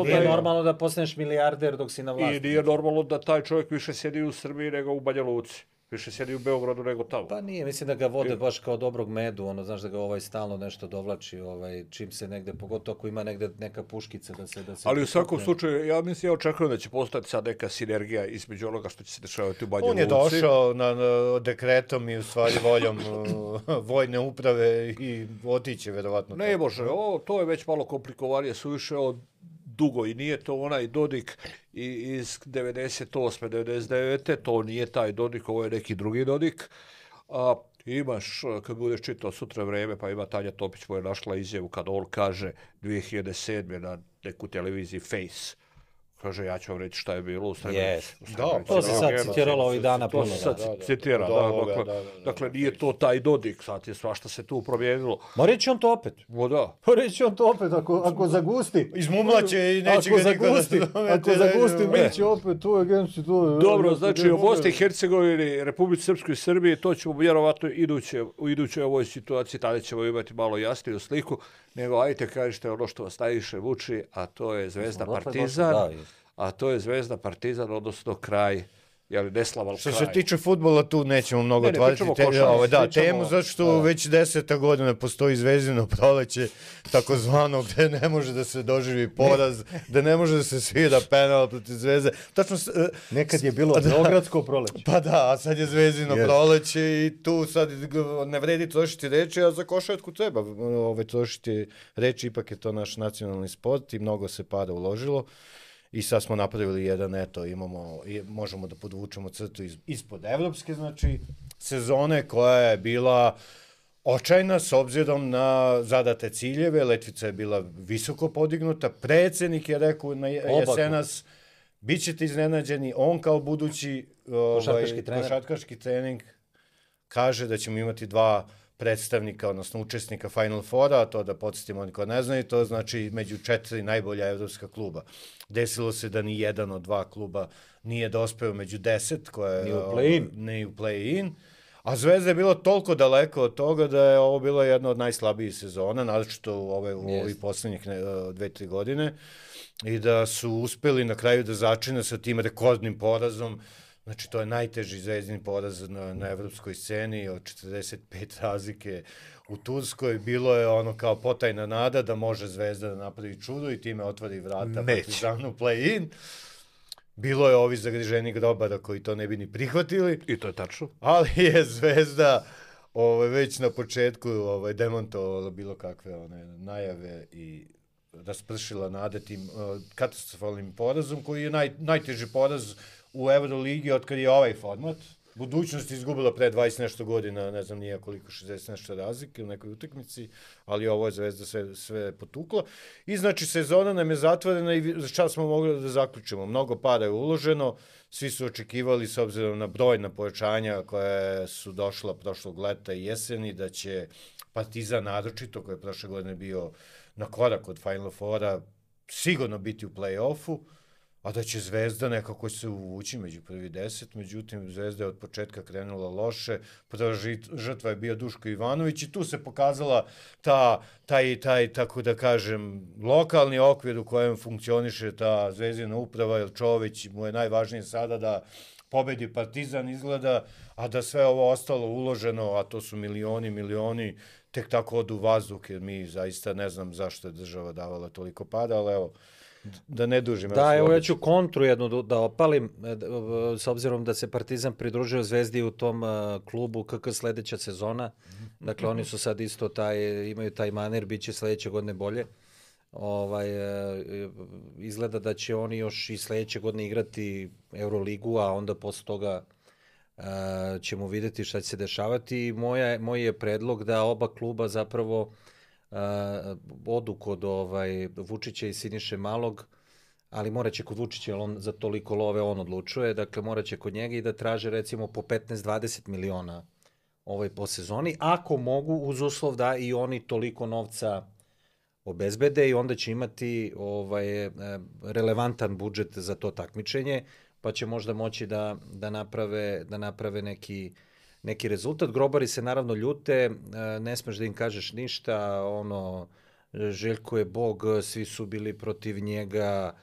da... Nije normalno da postaneš milijarder dok si na vlasti. I nije normalno da taj čovjek više sjedi u Srbiji nego u Banja Luci. Više sjedi u Beogradu nego tamo. Pa nije, mislim da ga vode baš kao dobrog medu, ono, znaš da ga ovaj stalno nešto dovlači, ovaj, čim se negde, pogotovo ako ima negde neka puškica da se... Da se ali u svakom slučaju, ja mislim, ja očekujem da će postati sad neka sinergija između onoga što će se dešavati u Banja Luci. On je došao na, na dekretom i u stvari voljom vojne uprave i otiće, verovatno. Ne može, o, to je već malo komplikovanije, suviše od dugo i nije to onaj Dodik iz devedeset osme devedeset devete to nije taj Dodik, ovo je neki drugi Dodik. A, imaš, kad budeš čitao Sutra vreme, pa ima Tanja Topić moja našla izjavu kad on kaže dvije hiljade sedme na neku televiziji Face. Kaže, ja ću vam reći šta je bilo u Srebrenici. Yes. Da, to se sad citiralo ovih dana puno. To se sad citira, da. Dakle, dakle, nije to taj Dodik, sad je svašta se tu promijenilo. Ma reći on to opet. O da. Pa reći on to opet, ako, ako zagusti. Izmumlaće i neće ga zagusti, ako zagusti, mi će opet tu agenciju. Tu, dobro, znači u Bosni i Hercegovini, Republici Srpskoj i Srbiji, to ćemo vjerovatno iduće, u idućoj ovoj situaciji, tada ćemo imati malo jasniju sliku, nego ajte kažete ono što vas najviše vuči, a to je Zvezda Partizan, a to je Zvezda Partizan, odnosno kraj, jeli neslavan kraj. Što se tiče fudbala, tu nećemo mnogo ne, ne, otvarati te, ovaj, da, pričamo, temu, zato što da. već deseta godina postoji Zvezdino proleće, takozvano, gde ne može da se doživi poraz, da ne može da se svira penal protiv Zvezde. Tačno, nekad je bilo da, Beogradsko proleće. Pa da, a sad je Zvezdino yes. proleće i tu sad ne vredi trošiti reči, a za košarku treba ovaj, trošiti reči, ipak je to naš nacionalni sport i mnogo se para uložilo. I sad smo napravili jedan, eto, imamo, možemo da podvučemo crtu iz, ispod evropske, znači, sezone koja je bila očajna s obzirom na zadate ciljeve, letvica je bila visoko podignuta, predsjednik je rekao na jesenas, bit ćete iznenađeni, on kao budući košarkaški trener, košarkaški trening kaže da ćemo imati dva predstavnika, odnosno učesnika Final Fora, to da podsjetimo oni ko ne znaju, to znači među četiri najbolja evropska kluba. Desilo se da ni jedan od dva kluba nije dospeo među deset, koje ni u play-in. Ne u play-in. A Zvezda je bilo toliko daleko od toga da je ovo bila jedna od najslabijih sezona, naročito u ove, u ovih posljednjih dve, tri godine, i da su uspeli na kraju da začine sa tim rekordnim porazom. Znači, to je najteži zvezdini poraz na, na evropskoj sceni od četrdeset pet razlike u Turskoj. Bilo je ono kao potajna nada da može Zvezda da napravi čudo i time otvori vrata Partizanu play-in. Bilo je ovi zagriženi grobara koji to ne bi ni prihvatili. I to je tačno. Ali je Zvezda ovaj, već na početku ovaj, demontovala bilo kakve one najave i raspršila nade tim uh, katastrofalnim porazom koji je naj, najteži poraz u Euroligi od kad je ovaj format. Budućnost je izgubila pre dvadeset nešto godina, ne znam nije koliko, šezdeset nešto razlike u nekoj utakmici, ali ovo je Zvezda sve, sve potukla. I znači sezona nam je zatvorena i šta smo mogli da zaključimo? Mnogo para je uloženo, svi su očekivali s obzirom na brojna pojačanja koje su došla prošlog leta i jeseni, da će Partizan naročito, koji je prošle godine bio na korak od Final Fora, sigurno biti u play-offu, a da će Zvezda nekako se uvući među prvi deset, međutim Zvezda je od početka krenula loše, prva žrtva je bio Duško Ivanović i tu se pokazala ta, taj, taj, tako da kažem, lokalni okvir u kojem funkcioniše ta Zvezdina uprava, jer Čović mu je najvažnije sada da pobedi Partizan izgleda, a da sve ovo ostalo uloženo, a to su milioni, milioni, tek tako odu u vazduh, jer mi zaista ne znam zašto je država davala toliko pada, ali evo, da ne dužim. Da, evo ja ću kontru jednu da, da opalim, s obzirom da se Partizan pridružio Zvezdi u tom uh, klubu K K sledeća sezona. Dakle, oni su sad isto taj, imaju taj manir, bit će sledeće godine bolje. Ovaj, uh, izgleda da će oni još i sledeće godine igrati Euroligu, a onda posle toga uh, ćemo videti šta će se dešavati. Moja, moj je predlog da oba kluba zapravo Uh, odu kod ovaj, Vučića i Siniše Malog, ali moraće kod Vučića, jer on za toliko love on odlučuje, dakle moraće kod njega i da traže recimo po petnaest do dvadeset miliona ovaj, po sezoni, ako mogu uz uslov da i oni toliko novca obezbede i onda će imati ovaj, relevantan budžet za to takmičenje, pa će možda moći da, da, naprave, da naprave neki neki rezultat. Grobari se naravno ljute, ne smeš da im kažeš ništa, ono, Željko je bog, svi su bili protiv njega,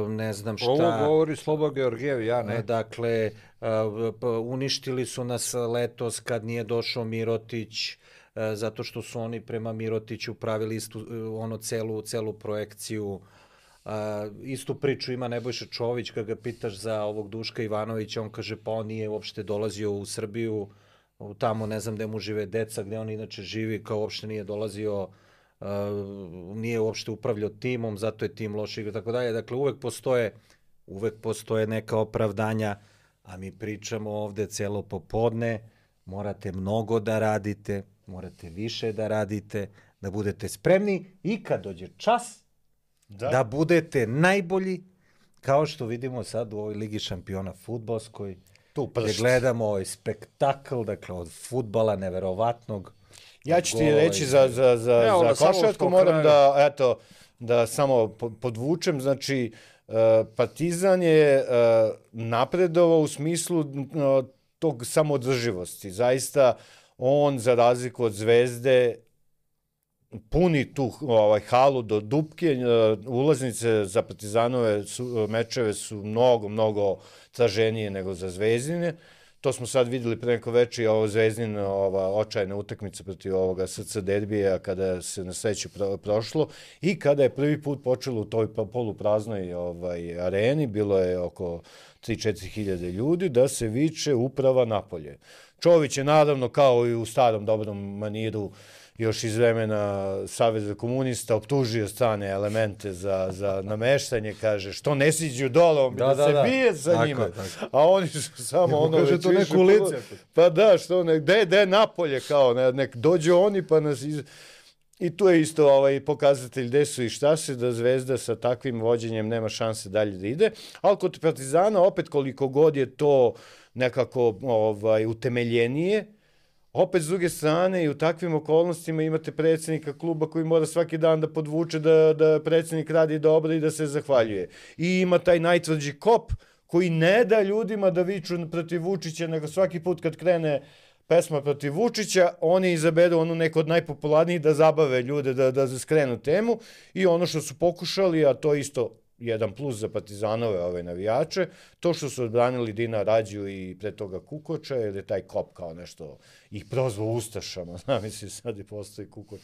ne znam šta. Ovo govori Slobo Georgijev, ja ne. Dakle, uništili su nas letos kad nije došao Mirotić, zato što su oni prema Mirotiću pravili istu, ono, celu, celu projekciju. Uh, istu priču ima Nebojša Čović, kad ga pitaš za ovog Duška Ivanovića, on kaže pa on nije uopšte dolazio u Srbiju, tamo ne znam gde mu žive deca, gde on inače živi, kao uopšte nije dolazio, uh, nije uopšte upravljao timom, zato je tim loš igra, tako dalje. Dakle, uvek postoje, uvek postoje neka opravdanja, a mi pričamo ovde celo popodne, morate mnogo da radite, morate više da radite, da budete spremni i kad dođe čas, Da. da budete najbolji, kao što vidimo sad u ovoj Ligi šampiona fudbalskoj, gdje gledamo ovaj spektakl, dakle, od fudbala neverovatnog. Ja ću ti reći za, za, za, Evo, za košarku, moram da, eto, da samo podvučem, znači, uh, Partizan je uh, napredovao u smislu uh, tog samoodrživosti. Zaista, on, za razliku od Zvezde, puni tu ovaj, halu do dupke, ulaznice za Partizanove su, mečeve su mnogo, mnogo traženije nego za Zvezdine. To smo sad videli pre neko veče i ovo Zvezdin, ova očajna utakmica protiv ovoga S C derbija kada se na sreću pro, prošlo i kada je prvi put počelo u toj polupraznoj ovaj, areni, bilo je oko tri do četiri hiljade ljudi, da se viče uprava napolje. Čović je naravno kao i u starom dobrom maniru još iz vremena Saveza komunista optužio strane elemente za, za nameštanje, kaže, što ne siđu dole, on bi da, da, da se da. bije sa tako njima. Je, a oni su samo ono već to neku lice. Pa da, što ne, gde, gde napolje, kao, ne, nek dođu oni pa nas iz... I tu je isto ovaj pokazatelj gde su i šta se, da Zvezda sa takvim vođenjem nema šanse dalje da ide, ali kod Partizana opet koliko god je to nekako ovaj, utemeljenije, opet s druge strane i u takvim okolnostima imate predsjednika kluba koji mora svaki dan da podvuče da, da predsjednik radi dobro i da se zahvaljuje. I ima taj najtvrđi kop koji ne da ljudima da viču protiv Vučića, nego svaki put kad krene pesma protiv Vučića, oni izaberu onu neko od najpopularnijih da zabave ljude, da, da skrenu temu i ono što su pokušali, a to isto jedan plus za Partizanove ove navijače, to što su odbranili Dina Rađu i pre toga Kukoča, jer je taj kop kao nešto ih prozvao Ustašama, znam misli sad i postoji Kukoč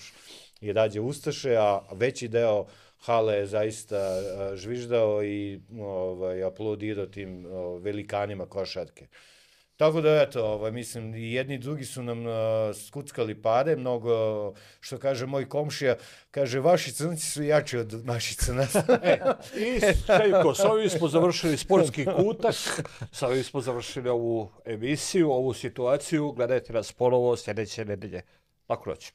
i Rađe Ustaše, a veći deo hale je zaista žviždao i ovaj, aplaudirao tim o, velikanima košarke. Tako da, eto, ovaj, mislim, i jedni i drugi su nam uh, skuckali pare, mnogo, što kaže moj komšija, kaže, vaši crnci su jači od naših crnaca. e, I, Šejko, sa ovim smo završili sportski kutak, sa ovim smo završili ovu emisiju, ovu situaciju, gledajte nas ponovo sljedeće nedelje. Lako noć.